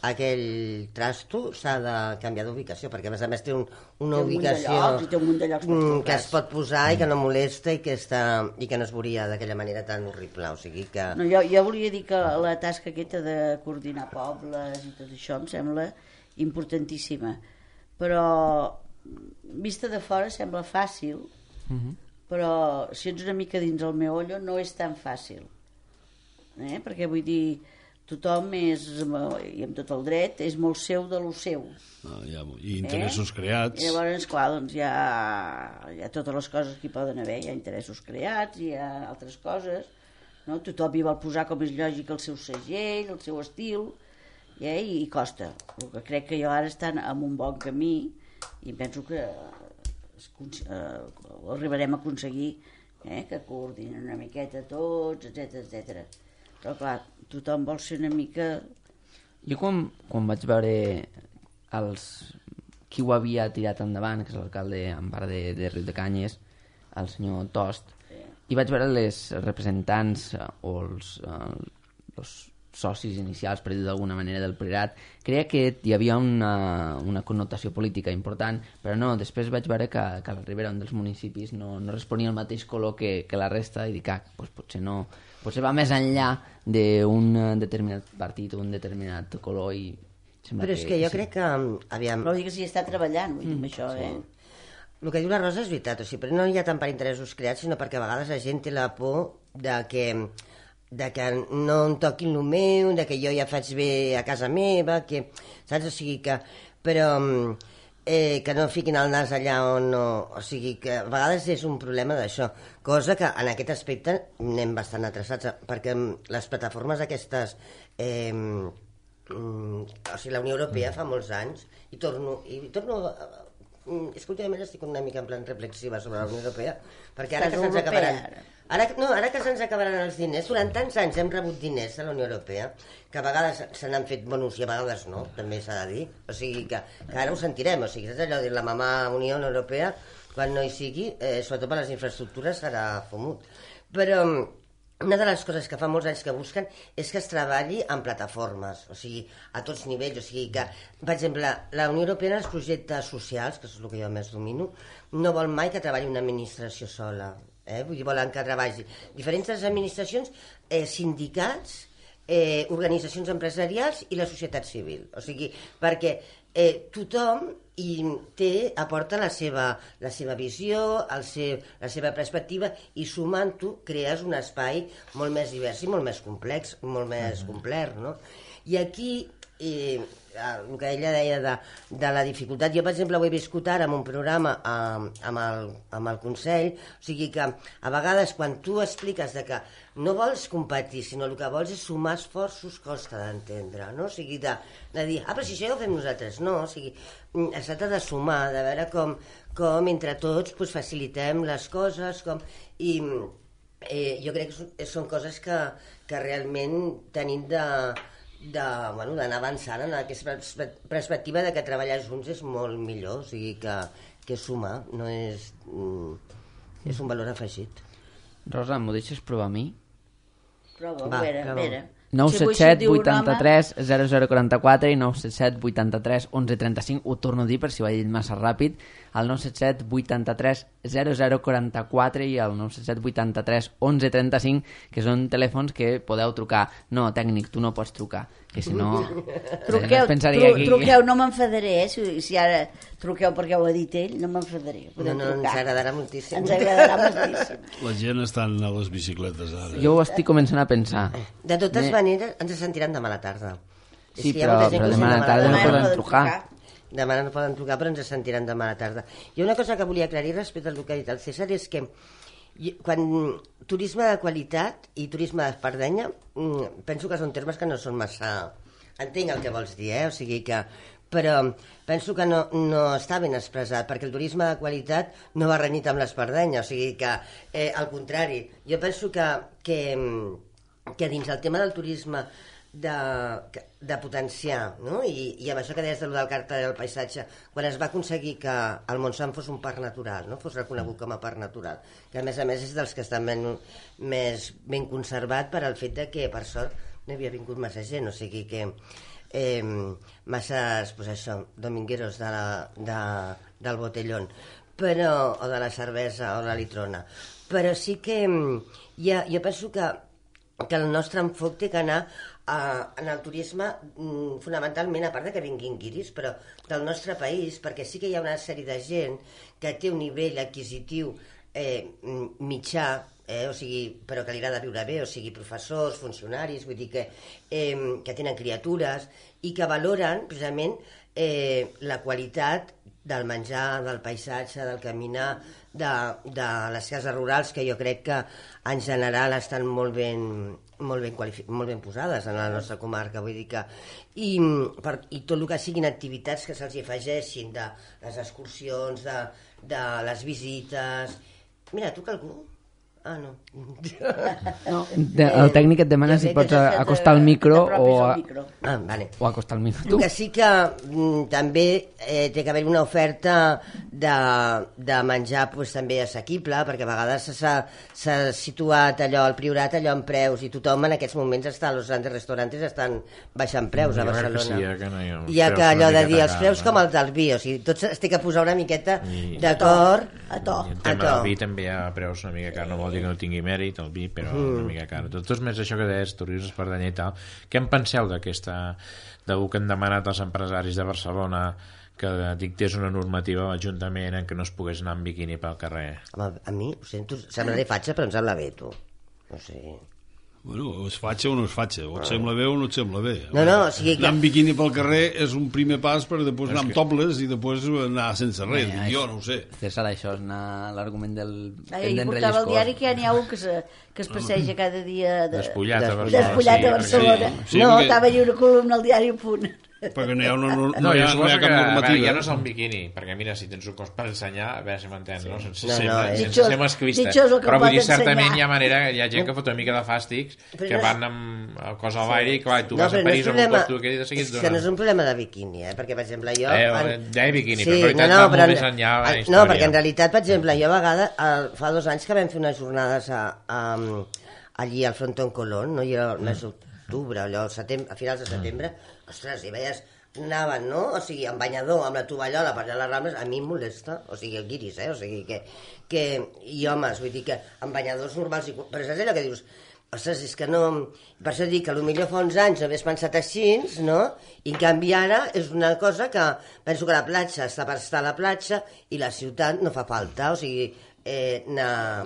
Speaker 2: aquell trasto s'ha de canviar d'ubicació, perquè a més a més té un, una
Speaker 5: Té un munt de
Speaker 2: ubicació
Speaker 5: llocs, i té un munt de llocs per
Speaker 2: mm,
Speaker 5: col·locar.
Speaker 2: que es pot posar i que no molesta i que, està, i que no es veuria d'aquella manera tan horrible. O sigui que...
Speaker 5: No, jo, jo volia dir que la tasca aquesta de coordinar pobles i tot això em sembla importantíssima, però vista de fora sembla fàcil,
Speaker 1: Mhm.
Speaker 5: però si ets una mica dins el meollo no és tan fàcil, eh? Perquè vull dir, tothom és, i amb tot el dret, és molt seu de lo seu.
Speaker 4: Ah, ja, I interessos
Speaker 5: eh?
Speaker 4: creats.
Speaker 5: I llavors, clar, doncs hi ha, hi ha totes les coses que hi poden haver, hi ha interessos creats, hi ha altres coses, no? Tothom hi vol posar, com és lògic, el seu segell, el seu estil, eh? I costa. El que crec que jo ara estan en un bon camí i penso que es, eh, ho arribarem a aconseguir, eh? Que coordinen una miqueta tots, etc etcètera. Però clar, tothom vol ser una mica...
Speaker 1: Jo quan, quan vaig veure els, qui ho havia tirat endavant, que és l'alcalde en part de, de Riu de Canyes, el senyor Tost, i vaig veure les representants eh, o els, eh, els socis inicials, per dir d'alguna manera, del Priorat, creia que hi havia una, una connotació política important, però no, després vaig veure que, que la Ribera, un dels municipis, no, no responia al mateix color que, que la resta, i dic, ah, doncs potser no, potser va més enllà d'un determinat partit o un determinat color, i sembla
Speaker 2: Però és que jo
Speaker 1: sí.
Speaker 2: crec que... Aviam,
Speaker 5: Però vull dir que s'hi està treballant, vull dir, amb això, eh?
Speaker 2: el que diu la Rosa és veritat, o sigui, però no hi ha tant per interessos creats, sinó perquè a vegades la gent té la por de que, de que no em toquin el meu, de que jo ja faig bé a casa meva, que, saps? O sigui que... Però eh, que no fiquin el nas allà on no... O sigui que a vegades és un problema d'això, cosa que en aquest aspecte anem bastant atrasats, perquè les plataformes aquestes... Eh, mm, o sigui, la Unió Europea fa molts anys, i torno... I torno a, Mm, és que últimament estic una mica en plan reflexiva sobre la Unió Europea, perquè ara
Speaker 5: Estàs
Speaker 2: que se'ns
Speaker 5: europea,
Speaker 2: acabaran...
Speaker 5: ara.
Speaker 2: Ara, no, ara que se'ns acabaran els diners, durant tants anys hem rebut diners de la Unió Europea, que a vegades se n'han fet bonus i a vegades no, també s'ha de dir. O sigui que, que ara ho sentirem, o sigui, és allò de la mamà Unió Europea, quan no hi sigui, eh, sobretot per les infraestructures, serà fumut. Però una de les coses que fa molts anys que busquen és que es treballi en plataformes, o sigui, a tots nivells, o sigui que, per exemple, la Unió Europea en els projectes socials, que és el que jo més domino, no vol mai que treballi una administració sola. eh? Vull dir, volen que treballi diferents administracions, eh, sindicats, eh, organitzacions empresarials i la societat civil. O sigui, perquè eh, tothom i té, aporta la seva, la seva visió, el seu, la seva perspectiva, i sumant-ho crees un espai molt més divers i molt més complex, molt més complet, no? I aquí, eh, el que ella deia de, de la dificultat, jo per exemple ho he viscut ara en un programa amb, amb, el, amb el Consell, o sigui que a vegades quan tu expliques de que no vols competir, sinó el que vols és sumar esforços, costa d'entendre, no? O sigui, de, de dir, ah, però si això ja ho fem nosaltres, no, o sigui, es tracta de sumar, de veure com, com entre tots pues, facilitem les coses, com, i eh, jo crec que són coses que, que realment tenim de, de, bueno, d'anar avançant en aquesta perspectiva de que treballar junts és molt millor, o sigui que, que sumar no és, és un valor afegit.
Speaker 1: Rosa, m'ho deixes provar a mi?
Speaker 5: Prova,
Speaker 2: Va,
Speaker 5: a veure, a
Speaker 2: prova.
Speaker 5: veure.
Speaker 1: nou
Speaker 5: Si
Speaker 1: set
Speaker 5: avui
Speaker 1: set
Speaker 5: se't diu un
Speaker 1: vuitanta-tres zero zero quaranta-quatre i nou set set vuitanta-tres onze trenta-cinc. Ho torno a dir per si ho he dit massa ràpid. El nou set set vuitanta-tres zero zero quaranta-quatre i el nou set set vuitanta-tres onze trenta-cinc, que són telèfons que podeu trucar. No, tècnic, tu no pots trucar, que si no...
Speaker 5: Truqueu,
Speaker 1: pensaria
Speaker 5: tru,
Speaker 1: aquí...
Speaker 5: truqueu, no m'enfadaré, eh? Si, si ara truqueu perquè ho ha dit ell, no m'enfadaré.
Speaker 2: No, no, ens agradarà moltíssim.
Speaker 5: Ens agradarà moltíssim.
Speaker 4: La gent estan a les bicicletes ara.
Speaker 1: Jo ho estic començant a pensar.
Speaker 2: De totes
Speaker 1: Me-
Speaker 2: maneres, ens sentiran demà a la tarda. És
Speaker 1: Sí,
Speaker 2: que hi ha
Speaker 1: però,
Speaker 2: molta gent
Speaker 1: però
Speaker 2: que
Speaker 1: demà a
Speaker 2: sent
Speaker 1: la tarda no
Speaker 5: Demà
Speaker 1: poden
Speaker 5: poden
Speaker 1: trucar.
Speaker 2: Demà no poden trucar, però ens sentiran demà a la tarda. I una cosa que volia aclarir respecte al que ha dit el César és que jo- quan turisme de qualitat i turisme d'espardenya, mm, penso que són termes que no són massa... Entenc el que vols dir, eh? O sigui que... Però penso que no, no està ben expressat, perquè el turisme de qualitat no va renyit amb l'espardenya, o sigui que, eh, al contrari, jo penso que, que, que dins el tema del turisme de, de potenciar, no? I, i amb això que deies de lo del carta del paisatge, quan es va aconseguir que el Montsant fos un parc natural, no? Fos reconegut com a parc natural, que a més a més és dels que estan ben, més ben conservat per al fet de que, per sort, no havia vingut massa gent, o sigui que eh, masses, pues això, domingueros de la, de, del botellón, però, o de la cervesa o la litrona, però sí que ja, jo penso que, que el nostre enfoc té que anar a, en el turisme mm, fonamentalment, a part de que vinguin guiris, però del nostre país, perquè sí que hi ha una sèrie de gent que té un nivell adquisitiu eh, mitjà, eh, o sigui, però que li agrada viure bé, o sigui, professors, funcionaris, vull dir que, eh, que tenen criatures i que valoren precisament eh, la qualitat del menjar, del paisatge, del caminar, de, de les cases rurals, que jo crec que en general estan molt ben, molt ben, qualific... molt ben posades en la nostra comarca, vull dir que... I, per, i tot el que siguin activitats que se'ls afegeixin, de les excursions, de, de les visites... Mira, truca algú? Ah, no.
Speaker 1: No, de, el tècnic et demana si pots acostar el micro o, a,
Speaker 5: micro.
Speaker 2: Ah, vale.
Speaker 1: o acostar el micro.
Speaker 2: El que sí que mm, també eh, té que haver una oferta de, de menjar pues, també assequible, perquè a vegades s'ha situat allò, al Priorat, allò en preus, i tothom en aquests moments està, els grandes restaurants estan baixant preus a Barcelona.
Speaker 3: Sí, que no hi ha,
Speaker 2: hi ha que allò de dir els preus com els del vi, o sigui, tots es té que posar una miqueta d'acord.
Speaker 5: A to.
Speaker 3: I el tema del vi també hi ha preus una mica car, no vol dir que no tingui mèrit el vi, però mm. una mica car. Tot és més això que deies, turisme espardenyer i tal. Què en penseu d'aquesta, del que han demanat els empresaris de Barcelona que dictés una normativa a l'Ajuntament en què no es pogués anar amb biquini pel carrer?
Speaker 2: Home, a mi, ho sento, semblaré fatxa, però em sembla bé, tu. No sé...
Speaker 4: Bueno, o es fatxa o no es fatxa, o et sembla bé o no et sembla bé.
Speaker 2: No, no, o sigui que...
Speaker 4: Anar amb biquini pel carrer és un primer pas per després anar amb topless i després anar sense res, dic jo, no ho sé.
Speaker 1: César, això és anar l'argument del...
Speaker 5: Ahir portava el diari que ja n'hi ha un que, se, que es passeja cada dia de...
Speaker 3: Despullat a Barcelona.
Speaker 5: Despullat a Barcelona.
Speaker 4: Sí, sí,
Speaker 5: no,
Speaker 4: perquè-
Speaker 5: estava allà una columna al diari a punt.
Speaker 4: Perquè no hi ha, una, no,
Speaker 3: No,
Speaker 4: hi
Speaker 3: jo
Speaker 4: ha, no hi
Speaker 3: suposo
Speaker 4: ha
Speaker 3: que
Speaker 4: cap
Speaker 3: a veure,
Speaker 4: normativa.
Speaker 3: ja no és el biquini, perquè mira, si tens un cos per ensenyar, a veure si m'entens, no? Sense,
Speaker 2: No, no,
Speaker 3: ser,
Speaker 2: és-
Speaker 3: sense
Speaker 5: Ditxós-
Speaker 3: ser masclista.
Speaker 5: ditxós el que
Speaker 3: Però vull
Speaker 5: pot
Speaker 3: dir, certament
Speaker 5: ensenyar.
Speaker 3: hi ha manera, hi ha gent que fot una mica de fàstics,
Speaker 2: Però
Speaker 3: que
Speaker 2: no és-
Speaker 3: van amb el cos al l'aire i clar, tu
Speaker 2: No,
Speaker 3: vas a
Speaker 2: però no és
Speaker 3: París amb un
Speaker 2: problema-
Speaker 3: cos tu que de seguit
Speaker 2: és que no és un problema de biquini, eh? Perquè, per exemple, jo...
Speaker 3: Eh,
Speaker 2: en-
Speaker 3: deia biquini, però en realitat va molt més enllà la
Speaker 2: en-
Speaker 3: història.
Speaker 2: No, perquè en realitat, per exemple, jo a vegades, el, fa dos anys que vam fer unes jornades a, a, allí al Frontón Colón, no? I era el mes d'octubre, allò, al setembre, a finals de setembre, ostres, i veies anaven, no? O sigui, amb banyador, amb la tovallola per allà a les Rambles, a mi em molesta, o sigui, el guiris, eh? O sigui, que, que i homes, vull dir que amb banyadors normals, i, però saps allò que dius, ostres, és que no... Per això dic que potser fa uns anys no hagués pensat així, no? I en canvi ara és una cosa que penso que la platja està per estar a la platja i la ciutat no fa falta, o sigui... Eh, na...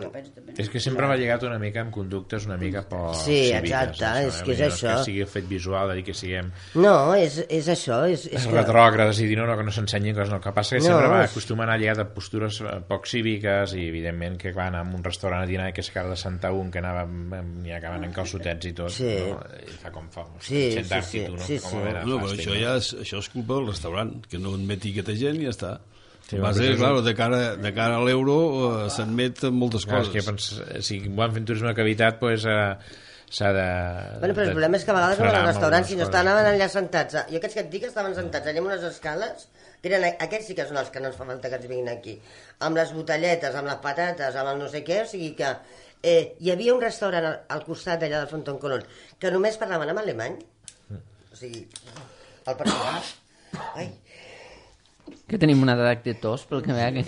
Speaker 3: És que sempre va lligat una mica amb conductes una mica poc
Speaker 2: sí,
Speaker 3: cíviques,
Speaker 2: exacte,
Speaker 3: això,
Speaker 2: és
Speaker 3: eh?
Speaker 2: que és
Speaker 3: no
Speaker 2: això.
Speaker 3: És que sigui fet visual, de dir que siguem
Speaker 2: no, és, és això és, és que...
Speaker 3: retrògrades i dir no, no, que no s'ensenyin coses, no. El que passa és que
Speaker 2: no,
Speaker 3: sempre va
Speaker 2: és...
Speaker 3: acostumar a anar lligat a postures poc cíviques i evidentment que van a un restaurant a dinar i que s'acaba de sentar un que anava n'hi ha que van en calçotets i tot,
Speaker 2: sí.
Speaker 3: no? I fa com fa
Speaker 2: sí, sí,
Speaker 3: sí,
Speaker 2: sí,
Speaker 3: tu, no?
Speaker 2: sí,
Speaker 3: Com
Speaker 2: sí.
Speaker 3: no,
Speaker 4: però això, ja és, això és culpa del restaurant, que no admeti aquesta gent i ja està.
Speaker 3: Sí,
Speaker 4: va ser, clar, de cara, de cara a l'euro uh, s'admet moltes
Speaker 3: clar,
Speaker 4: coses.
Speaker 3: és que pens, si van fent turisme de qualitat pues, uh, s'ha de...
Speaker 2: Bueno, però el
Speaker 3: de
Speaker 2: problema és que a vegades en els restaurants, si no
Speaker 3: coses.
Speaker 2: estaven allà sentats, jo aquests que et dic estaven sentats allà amb unes escales, que eren, aquests sí que són els que no ens fa falta que ens vinguin aquí, amb les botelletes, amb les patates, amb el no sé què, o sigui que eh, hi havia un restaurant al, al costat d'allà del Fronton Colón que només parlaven en alemany, o sigui, el personal... Ai...
Speaker 1: Que tenim un atac de tos, pel que veia que...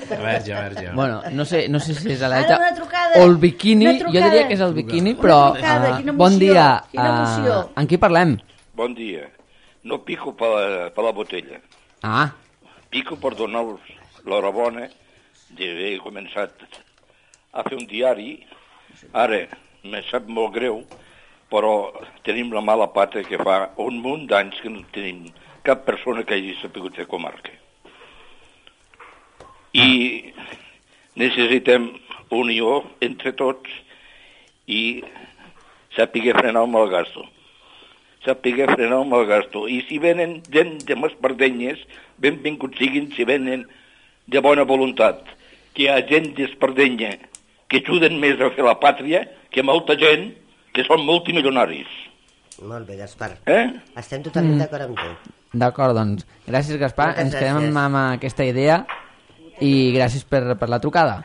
Speaker 3: Verge, verge.
Speaker 1: Bueno, no sé, no sé si és
Speaker 5: Ara
Speaker 1: l'aleta
Speaker 5: una trucada.
Speaker 1: o el biquini,
Speaker 5: Una
Speaker 1: jo
Speaker 5: trucada.
Speaker 1: diria que és el biquini,
Speaker 5: Una
Speaker 1: però...
Speaker 5: trucada,
Speaker 1: uh,
Speaker 5: quina
Speaker 1: bon
Speaker 5: emoció,
Speaker 1: dia,
Speaker 5: quina emoció.
Speaker 1: uh, amb qui parlem?
Speaker 6: Bon dia. No pico per la, per la botella.
Speaker 1: Ah,
Speaker 6: Pico per donar-vos l'horabona d'haver començat a fer un diari. Ara, me sap molt greu, però tenim la mala pata que fa un munt d'anys que no tenim cap persona que hagi sapigut fer comarca. I necessitem unió entre tots i saber frenar el malgasto. Saber frenar el malgasto. I si venen gent de m'espardenyes, benvinguts siguin si venen de bona voluntat. Que hi ha gent d'espardenya que ajuden més a fer la pàtria que molta gent que són multimilionaris.
Speaker 2: Molt bé, Gaspar.
Speaker 6: Eh?
Speaker 2: Estem totalment mm. d'acord amb tu.
Speaker 1: d'acord, doncs. Gràcies, Gaspar.
Speaker 2: Moltes
Speaker 1: Ens quedem
Speaker 2: gràcies.
Speaker 1: amb, amb aquesta idea i gràcies per, per la trucada.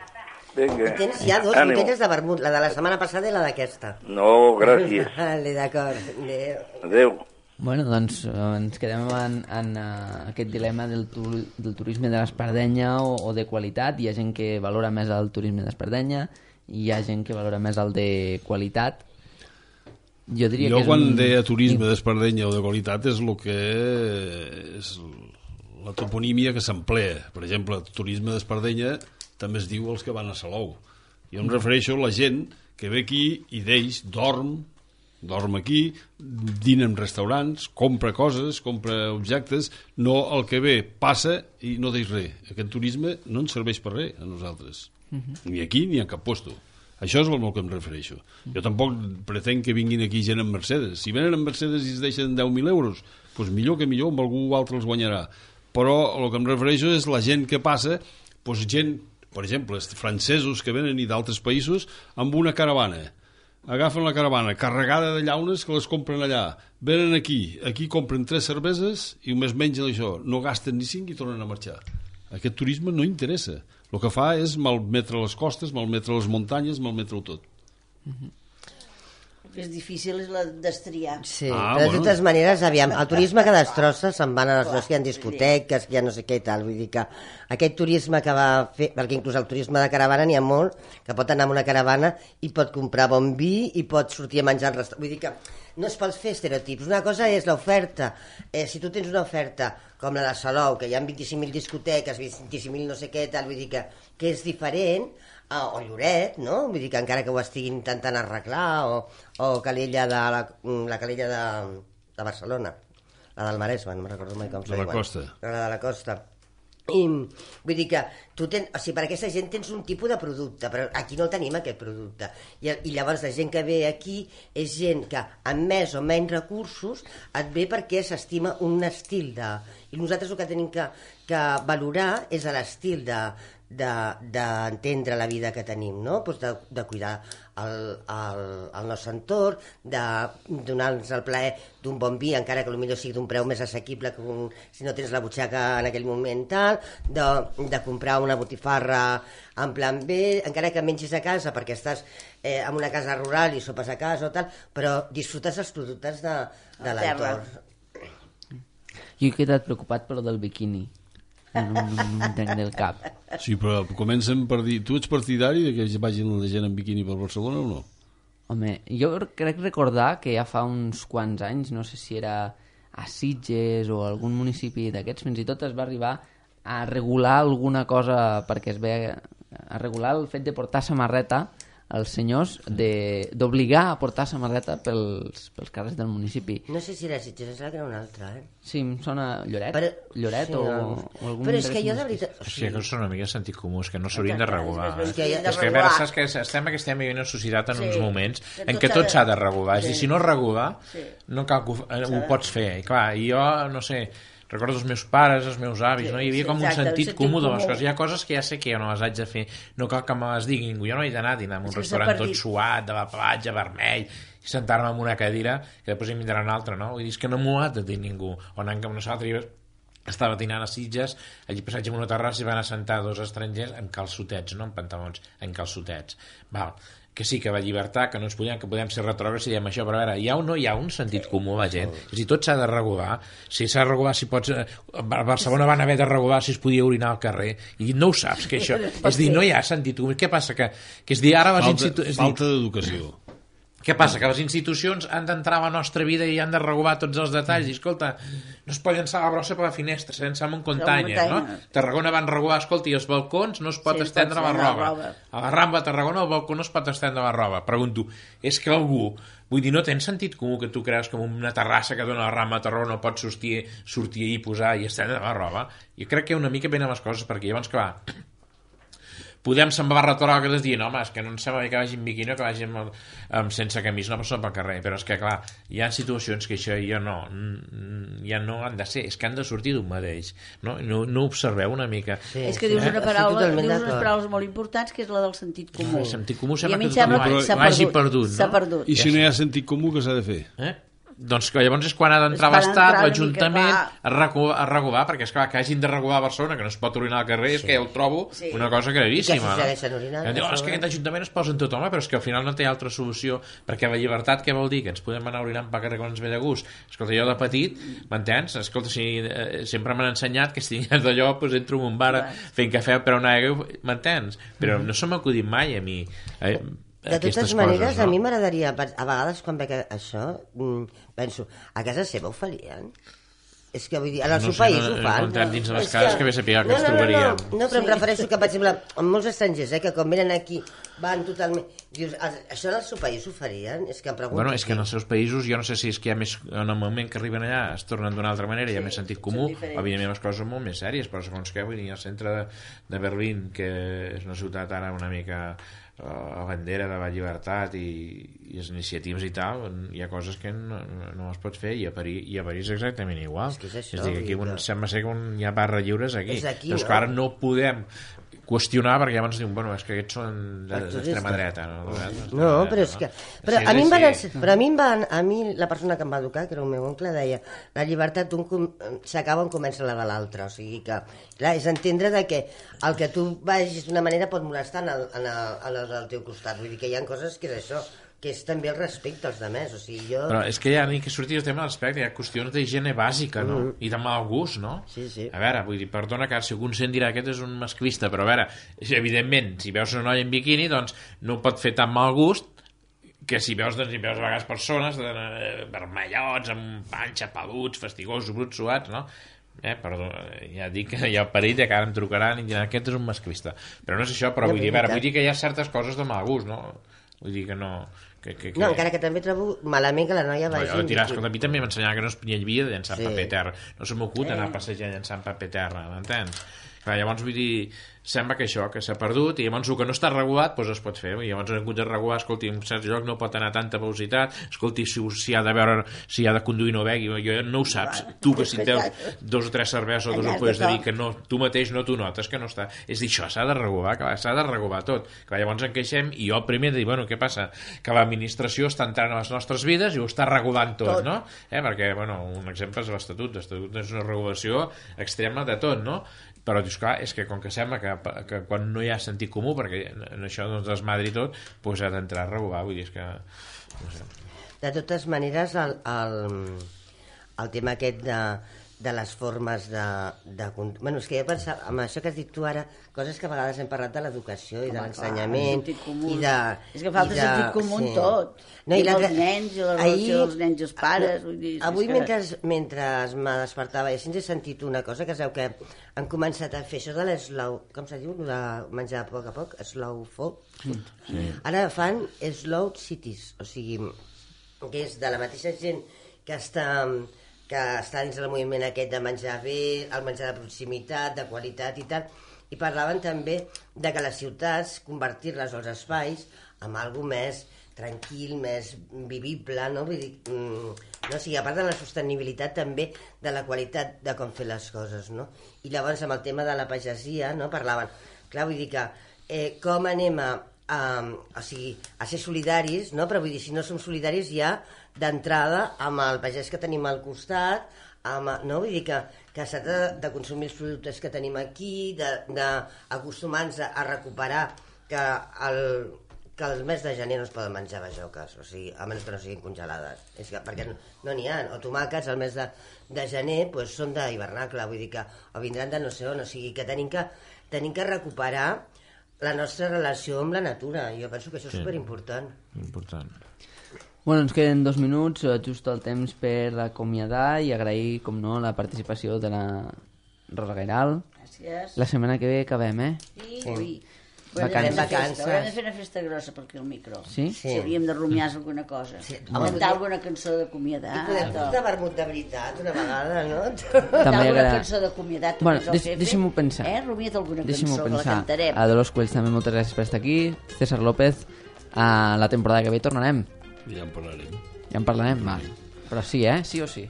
Speaker 6: Vinga.
Speaker 2: I tens ja dos
Speaker 6: Ànimo.
Speaker 2: botelles de vermut, la de la setmana passada i la d'aquesta.
Speaker 6: No, gràcies.
Speaker 2: Vale, d'acord. Adéu.
Speaker 6: Adéu.
Speaker 1: Bueno, doncs eh, ens quedem en, en uh, aquest dilema del, tu, del turisme de l'Espardenya o, o de qualitat. Hi ha gent que valora més el turisme d'Espardenya i hi ha gent que valora més el de qualitat. Jo diria
Speaker 4: jo
Speaker 1: que és
Speaker 4: quan
Speaker 1: un...
Speaker 4: deia turisme d'Espardenya o de qualitat és el que és la toponímia que s'emplea. Per exemple, el turisme d'Espardenya també es diu els que van a Salou. Jo em refereixo a la gent que ve aquí i d'ells dorm, dorm aquí, dina en restaurants, compra coses, compra objectes, no el que ve passa i no deix res. Aquest turisme no ens serveix per res a nosaltres, uh-huh. ni aquí ni a cap posto. Això és el que em refereixo. Jo tampoc pretenc que vinguin aquí gent amb Mercedes. Si venen amb Mercedes i es deixen deu mil euros, doncs millor que millor, amb algú altre els guanyarà. Però el que em refereixo és la gent que passa, doncs gent, per exemple, els francesos que venen i d'altres països, amb una caravana. Agafen la caravana carregada de llaunes que les compren allà. Venen aquí, aquí compren tres cerveses i només mengen això. No gasten ni cinc i tornen a marxar. Aquest turisme no interessa. El que fa és malmetre les costes, malmetre les muntanyes, malmetre-ho tot.
Speaker 5: El que és difícil és la destriar.
Speaker 2: Sí,
Speaker 4: Ah,
Speaker 2: però de
Speaker 4: bueno.
Speaker 2: totes maneres, aviam, el turisme que destrossa se'n van a les zones que hi ha discoteques, que hi ha no sé què i tal, vull dir que aquest turisme que va fer, perquè inclús el turisme de caravana n'hi ha molt, que pot anar amb una caravana i pot comprar bon vi i pot sortir a menjar al restaurant, vull dir que no es pot fer estereotips. Una cosa és l'oferta, eh, si tu tens una oferta com la de Salou, que hi ha vint-i-cinc mil discoteques, vint-i-cinc mil no sé què, tal, vull dir que, que és diferent, eh, o Lloret, no? Vull dir que encara que ho estiguin intentant arreglar, o, o Calella de la, la Calella de, de Barcelona, la del Maresme, no me'n recordo mai com
Speaker 4: De
Speaker 2: se
Speaker 4: la
Speaker 2: diuen.
Speaker 4: Costa.
Speaker 2: La de la Costa. I, vull dir que tu ten, o sigui, per aquesta gent tens un tipus de producte, però aquí no tenim aquest producte, i, i llavors la gent que ve aquí és gent que amb més o menys recursos et ve perquè s'estima un estil de... i nosaltres el que tenim que, que valorar és l'estil de d'entendre la vida que tenim, no? Pues de, de cuidar el, el, el nostre entorn, de donar-nos el plaer d'un bon vi, encara que potser sigui d'un preu més assequible que un, si no tens la butxaca en aquell moment tal, de, de comprar una botifarra en plan B, encara que mengis a casa perquè estàs eh, en una casa rural i sopes a casa o tal, però disfrutes els productes de, de l'entorn.
Speaker 1: Jo he quedat preocupat per lo del biquini. No, no, no, no entenc del cap.
Speaker 4: Sí, però comencen per dir... Tu ets partidari de que vagin la gent en biquini per Barcelona o no?
Speaker 1: Home, jo crec recordar que ja fa uns quants anys, no sé si era a Sitges o algun municipi d'aquests, fins i tot es va arribar a regular alguna cosa perquè es ve a regular el fet de portar samarreta als senyors, d'obligar a portar samarreta pels, pels carrers del municipi.
Speaker 2: No sé si era Sitges, em sembla que era una altra, eh?
Speaker 1: Sí, em sona Lloret,
Speaker 2: però,
Speaker 1: Lloret
Speaker 2: sí,
Speaker 1: o,
Speaker 2: no.
Speaker 1: o algun...
Speaker 2: Però és que jo de veritat...
Speaker 3: O sigui, que són una mica sentit comú, és que no s'haurien de regular.
Speaker 2: És que,
Speaker 3: eh? és que, a veure, saps que estem, que estem vivint en societat en
Speaker 5: Sí.
Speaker 3: uns moments
Speaker 5: Que
Speaker 3: en
Speaker 5: tot
Speaker 3: què
Speaker 5: s'ha
Speaker 3: tot
Speaker 5: de-
Speaker 3: s'ha de regular. És a dir,
Speaker 5: Sí.
Speaker 3: si no es regula,
Speaker 5: Sí.
Speaker 3: no cal que ho, eh, ho pots fer. I clar, i jo, no sé, recordo els meus pares, els meus avis,
Speaker 5: Sí,
Speaker 3: no? Hi havia
Speaker 5: sí,
Speaker 3: com un
Speaker 5: exacte,
Speaker 3: sentit
Speaker 5: el sentit
Speaker 3: comú de les
Speaker 5: comú.
Speaker 3: coses. Hi ha coses que ja sé que jo no les haig de fer, no cal que me les digui ningú. Jo no he d'anar a dinar en un
Speaker 5: És que s'ha
Speaker 3: restaurant tot
Speaker 5: perdut.
Speaker 3: suat, de la platja, vermell, i sentar-me en una cadira que després hi vindrà una altra, no? Vull dir, és que no m'ho ha de dir ningú. O anant amb nosaltres, estava dinant a Sitges, allí passatge en una terrassa i van assentar dos estrangers en calçotets, no en pantalons, en calçotets. Val. Que sí, que va llibertat, que no ens podem, que podem ser retrògrads i diem això, però a veure, hi ha o no hi ha un sentit comú a la gent? És a dir, tot s'ha de regular. Si s'ha de regular, si pots... A Barcelona van haver de regular si es podia orinar al carrer, i no ho saps, que això... És dir, no hi ha sentit comú. Què passa? Que, que és dir, ara les
Speaker 4: Falta,
Speaker 3: institucions...
Speaker 4: falta d'educació.
Speaker 3: Què passa? Que les institucions han d'entrar a la nostra vida i han de regular tots els detalls. I, escolta, no es pot llançar la brossa per la finestra, s'ha llançar amb un container, no? Tarragona van regular, escolta, i els balcons no es pot
Speaker 5: Sí,
Speaker 3: estendre
Speaker 5: pot
Speaker 3: la
Speaker 5: estendre la
Speaker 3: roba.
Speaker 5: roba.
Speaker 3: A la Rambla de Tarragona al balcó no es pot estendre la roba. Pregunto, és que algú... Vull dir, no tens sentit comú que tu creus que una terrassa que dona la Rambla de Tarragona no pot sortir, sortir i posar i estendre la roba? Jo crec que una mica venen les coses perquè llavors que va... Podem se'n va retrògrades dient, home, és que no em sembla bé que vagi en biquini o que vagi amb, amb sense camisa una persona pel carrer, però és que clar, hi ha situacions que això jo no ja no han de ser, és que han de sortir d'un mateix, no, no, no observeu una mica.
Speaker 2: Sí,
Speaker 5: És que dius
Speaker 2: sí.
Speaker 5: una
Speaker 2: Estic
Speaker 5: paraula,
Speaker 2: totalment
Speaker 5: dius unes
Speaker 2: d'acord.
Speaker 5: paraules molt importants, que és la del sentit comú.
Speaker 3: El sentit comú
Speaker 5: I
Speaker 3: sembla
Speaker 5: a mi
Speaker 3: que
Speaker 5: em sembla
Speaker 3: tothom
Speaker 5: que s'ha
Speaker 3: vagi
Speaker 5: perdut.
Speaker 3: perdut,
Speaker 5: S'ha
Speaker 3: no?
Speaker 5: perdut.
Speaker 4: I si no hi ha sentit comú, què s'ha de fer?
Speaker 3: Eh? Doncs que llavors és quan ha d'entrar
Speaker 5: És quan
Speaker 3: l'Estat,
Speaker 5: entrar una
Speaker 3: l'Ajuntament
Speaker 5: mica,
Speaker 3: a, regular, a regular, perquè és clar que hagin de regular a Barcelona, que no es pot orinar al carrer, és que ja ho trobo
Speaker 5: Sí.
Speaker 3: una cosa gravíssima.
Speaker 2: I que si segueixen orinant,
Speaker 3: no? Diu,
Speaker 2: a
Speaker 3: és que
Speaker 2: sobre.
Speaker 3: aquest Ajuntament es posa en tot, home, però és que al final no té altra solució, perquè la llibertat què vol dir? Que ens podem anar orinant pel carrer quan ens ve de gust? Escolta, jo de petit, m'entens? Escolta, si, eh, sempre m'han ensenyat que si tingués d'allò, doncs entro en un bar fent cafè per una aigua, m'entens? Però no se m'ha acudit mai a mi. Eh,
Speaker 2: De totes
Speaker 3: aquestes
Speaker 2: maneres,
Speaker 3: coses, no?
Speaker 2: a mi m'agradaria, a vegades quan veig això, mm, penso, a casa seva ho farien? És que vull dir, en el
Speaker 3: No
Speaker 2: seu
Speaker 3: sé,
Speaker 2: país
Speaker 3: no,
Speaker 2: ho
Speaker 3: no he
Speaker 2: fan.
Speaker 3: comptat dins de les
Speaker 2: És
Speaker 3: cases que bé sapigueu que
Speaker 2: no,
Speaker 3: ens
Speaker 2: no, no,
Speaker 3: trobaríem.
Speaker 2: No, no, però em refereixo que, per exemple, amb molts estrangers, eh, que quan venen aquí van totalment... Dius, això en el seu país ho farien? És que em pregunto...
Speaker 3: Bueno, és que en els seus països, jo no sé si és que hi ha més, en el moment que arriben allà es tornen d'una altra manera, hi ha més sentit comú, evidentment les coses són molt més sèries, però segons què, vull dir, al centre de, de Berlín, que és una ciutat ara una mica a bandera de la llibertat i, i les iniciatives i tal, hi ha coses que no, no es pot fer, i a París, i a París exactament igual.
Speaker 2: És que és això,
Speaker 3: és a dir, aquí
Speaker 2: vull dir
Speaker 3: un,
Speaker 2: que-
Speaker 3: sembla ser que un, hi ha barra lliures aquí.
Speaker 2: És aquí,
Speaker 3: doncs
Speaker 2: no?
Speaker 3: que ara no podem qüestionar perquè llavors diuen, bueno, és que aquests són de- d'extrema dreta, no?
Speaker 2: No, però és que... Però a mi, em van, ens- però a mi em van... A mi la persona que em va educar, que era el meu oncle, deia la llibertat d'un com- s'acaba on comença la de l'altre. O sigui que, clar, és entendre de que el que tu vagis d'una manera pot molestar en el, en el, en el del teu costat. Vull dir que hi ha coses que és això, que és també el respecte als demés. O sigui, jo...
Speaker 3: Però és que ja ni que surti el tema de l'aspecte, hi ha qüestions d'higiene bàsica, no? Mm. I de mal gust, no?
Speaker 2: Sí, sí.
Speaker 3: A veure, vull dir, perdona que si algun sent dirà aquest és un masclista, però a veure, evidentment, si veus una noia en biquini, doncs no pot fer tan mal gust que si veus, doncs, si veus a vegades persones de, eh, vermellots, amb panxa, peluts, fastigosos, bruts, suats, no? Eh, perdó, ja dic que hi ha el perill de que ara em trucaran i diran aquest és un masclista. Però no és això, però
Speaker 2: No,
Speaker 3: vull dir, a
Speaker 2: però
Speaker 3: veure,
Speaker 2: i
Speaker 3: vull dir que hi ha certes coses de mal gust, no? Vull dir que no... Que, que, que...
Speaker 2: No, encara que també trobo malament que la noia
Speaker 3: No,
Speaker 2: vagi...
Speaker 3: jo de tirar, escolta, a mi també m'ensenyava que no es havia de llançar
Speaker 2: Sí.
Speaker 3: paper terra. No se m'acut anar a passejar llançant paper terra, m'entens? Clar, llavors, vull dir, sembla que això, que s'ha perdut, i llavors el que no està regulat, doncs es pot fer. I llavors han hagut de regular, escolti, en certs llocs no pot anar a tanta velocitat, escolti, si, si ha de veure, si ha de conduir no begui, jo no ho saps. Tu que si teus dos o tres cerveses o dos ampolles de vi, que no, tu mateix no t'ho notes, que no està... És dir, això s'ha de regular, clar, s'ha de regular tot. Clar, llavors en queixem, i jo primer de dir, bueno, què passa? Que l'administració està entrant a les nostres vides i ho està regulant tot, tot. No? Eh? Perquè, bueno, un exemple és l'Estatut. L'Estatut és una regulació extrema de tot, no? Però dius, clar, és que com que sembla que, que quan no hi ha sentit comú, perquè en això doncs desmadri tot, doncs ha d'entrar a regular, vull dir, és que... No sé.
Speaker 2: De totes maneres, el, el, el tema aquest de, de les formes de, de... Bueno, és que jo pensava, amb això que has dit tu ara, coses que a vegades hem parlat de l'educació i de l'ensenyament i de...
Speaker 5: És que falta sentit comú en tot.
Speaker 2: No,
Speaker 5: I,
Speaker 2: i
Speaker 5: els nens, i la relació dels nens i els pares. Vull dir,
Speaker 2: avui,
Speaker 5: que...
Speaker 2: mentre, mentre me despertava, i així he sentit una cosa, que sabeu que han començat a fer això de l'eslow... Com se diu? De menjar a poc a poc? Slow food. Sí. Ara fan slow cities, o sigui, que és de la mateixa gent que està... que està dins del moviment aquest de menjar bé, el menjar de proximitat, de qualitat i tal, i parlaven també de que les ciutats, convertir-les als espais amb alguna més tranquil, més vivible, no? Vull dir, mm, no? O sigui, a part de la sostenibilitat també de la qualitat de com fer les coses, no? I llavors amb el tema de la pagesia, no? Parlaven, clar, vull dir que eh, com anem a, a, o sigui, a ser solidaris, no? Però vull dir, si no som solidaris ja d'entrada amb el pagès que tenim al costat, amb, no? Vull dir que, que s'ha de, de consumir els productes que tenim aquí, d'acostumar-nos a recuperar que el, que el mes de gener no es poden menjar bajoques, o sigui, a menys que no siguin congelades, és que, perquè no n'hi no ha, o tomàquets al mes de, de gener pues, són d'hivernacle, vull dir que o vindran de no sé on, o sigui que tenim que, tenim que recuperar la nostra relació amb la natura, jo penso que això és sí. superimportant.
Speaker 3: Important.
Speaker 1: Bueno, ens queden dos minuts, just el temps per acomiadar i agrair, com no, la participació de la Rosa Gairal.
Speaker 5: Gràcies.
Speaker 1: La setmana que ve acabem, eh?
Speaker 5: Sí, sí.
Speaker 2: Vacances.
Speaker 5: Vacances. Haurem de fer una festa grossa per aquí al micro.
Speaker 1: Sí?
Speaker 5: Sí, hauríem de rumiar alguna cosa.
Speaker 2: Sí.
Speaker 5: Cantar alguna cançó d'acomiadat.
Speaker 2: I podem portar vermut de veritat una vegada, no?
Speaker 5: Cantar alguna
Speaker 1: agrada...
Speaker 5: cançó d'acomiadat.
Speaker 1: Bueno, deix, deixem-ho pensar.
Speaker 5: Eh? Rumia't alguna
Speaker 1: Deixem-ho
Speaker 5: cançó,
Speaker 1: pensar.
Speaker 5: que la cantarem.
Speaker 1: A Dolors Cuells també moltes gràcies per estar aquí. César López, a la temporada que ve tornarem.
Speaker 4: Ja en parlarem.
Speaker 1: Ja en parlarem? Val. Però sí, eh? Sí o sí.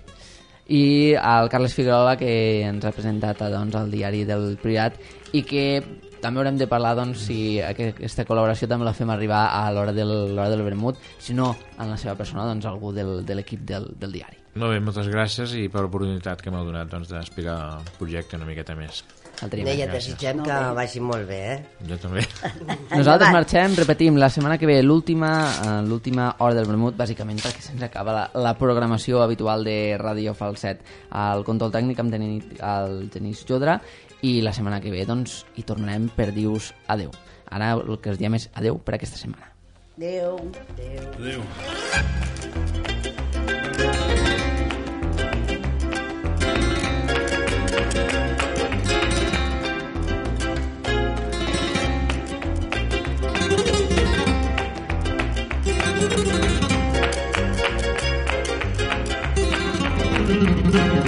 Speaker 1: I al Carles Figuerola, que ens ha presentat doncs, al diari del Priorat, i que també haurem de parlar doncs, si aquesta col·laboració també la fem arribar a l'hora del, l'hora del vermut, si no en la seva persona, doncs algú del, de l'equip del, del diari.
Speaker 3: Molt bé, moltes gràcies i per l'oportunitat que m'heu donat doncs, d'explicar el projecte una miqueta més.
Speaker 2: No, i et desitgem que vagi molt bé, eh?
Speaker 3: Jo també.
Speaker 1: Nosaltres marxem, repetim, la setmana que ve l'última uh, l'última hora del vermut, bàsicament perquè se'ns acaba la, la programació habitual de Ràdio Falset. El control tècnic amb el Genís Jodra, i la setmana que ve doncs, hi tornarem per dir-vos adeu. Ara el que us diem és adeu per aquesta setmana.
Speaker 5: Adeu.
Speaker 4: Adeu. Adeu.
Speaker 7: Thank you.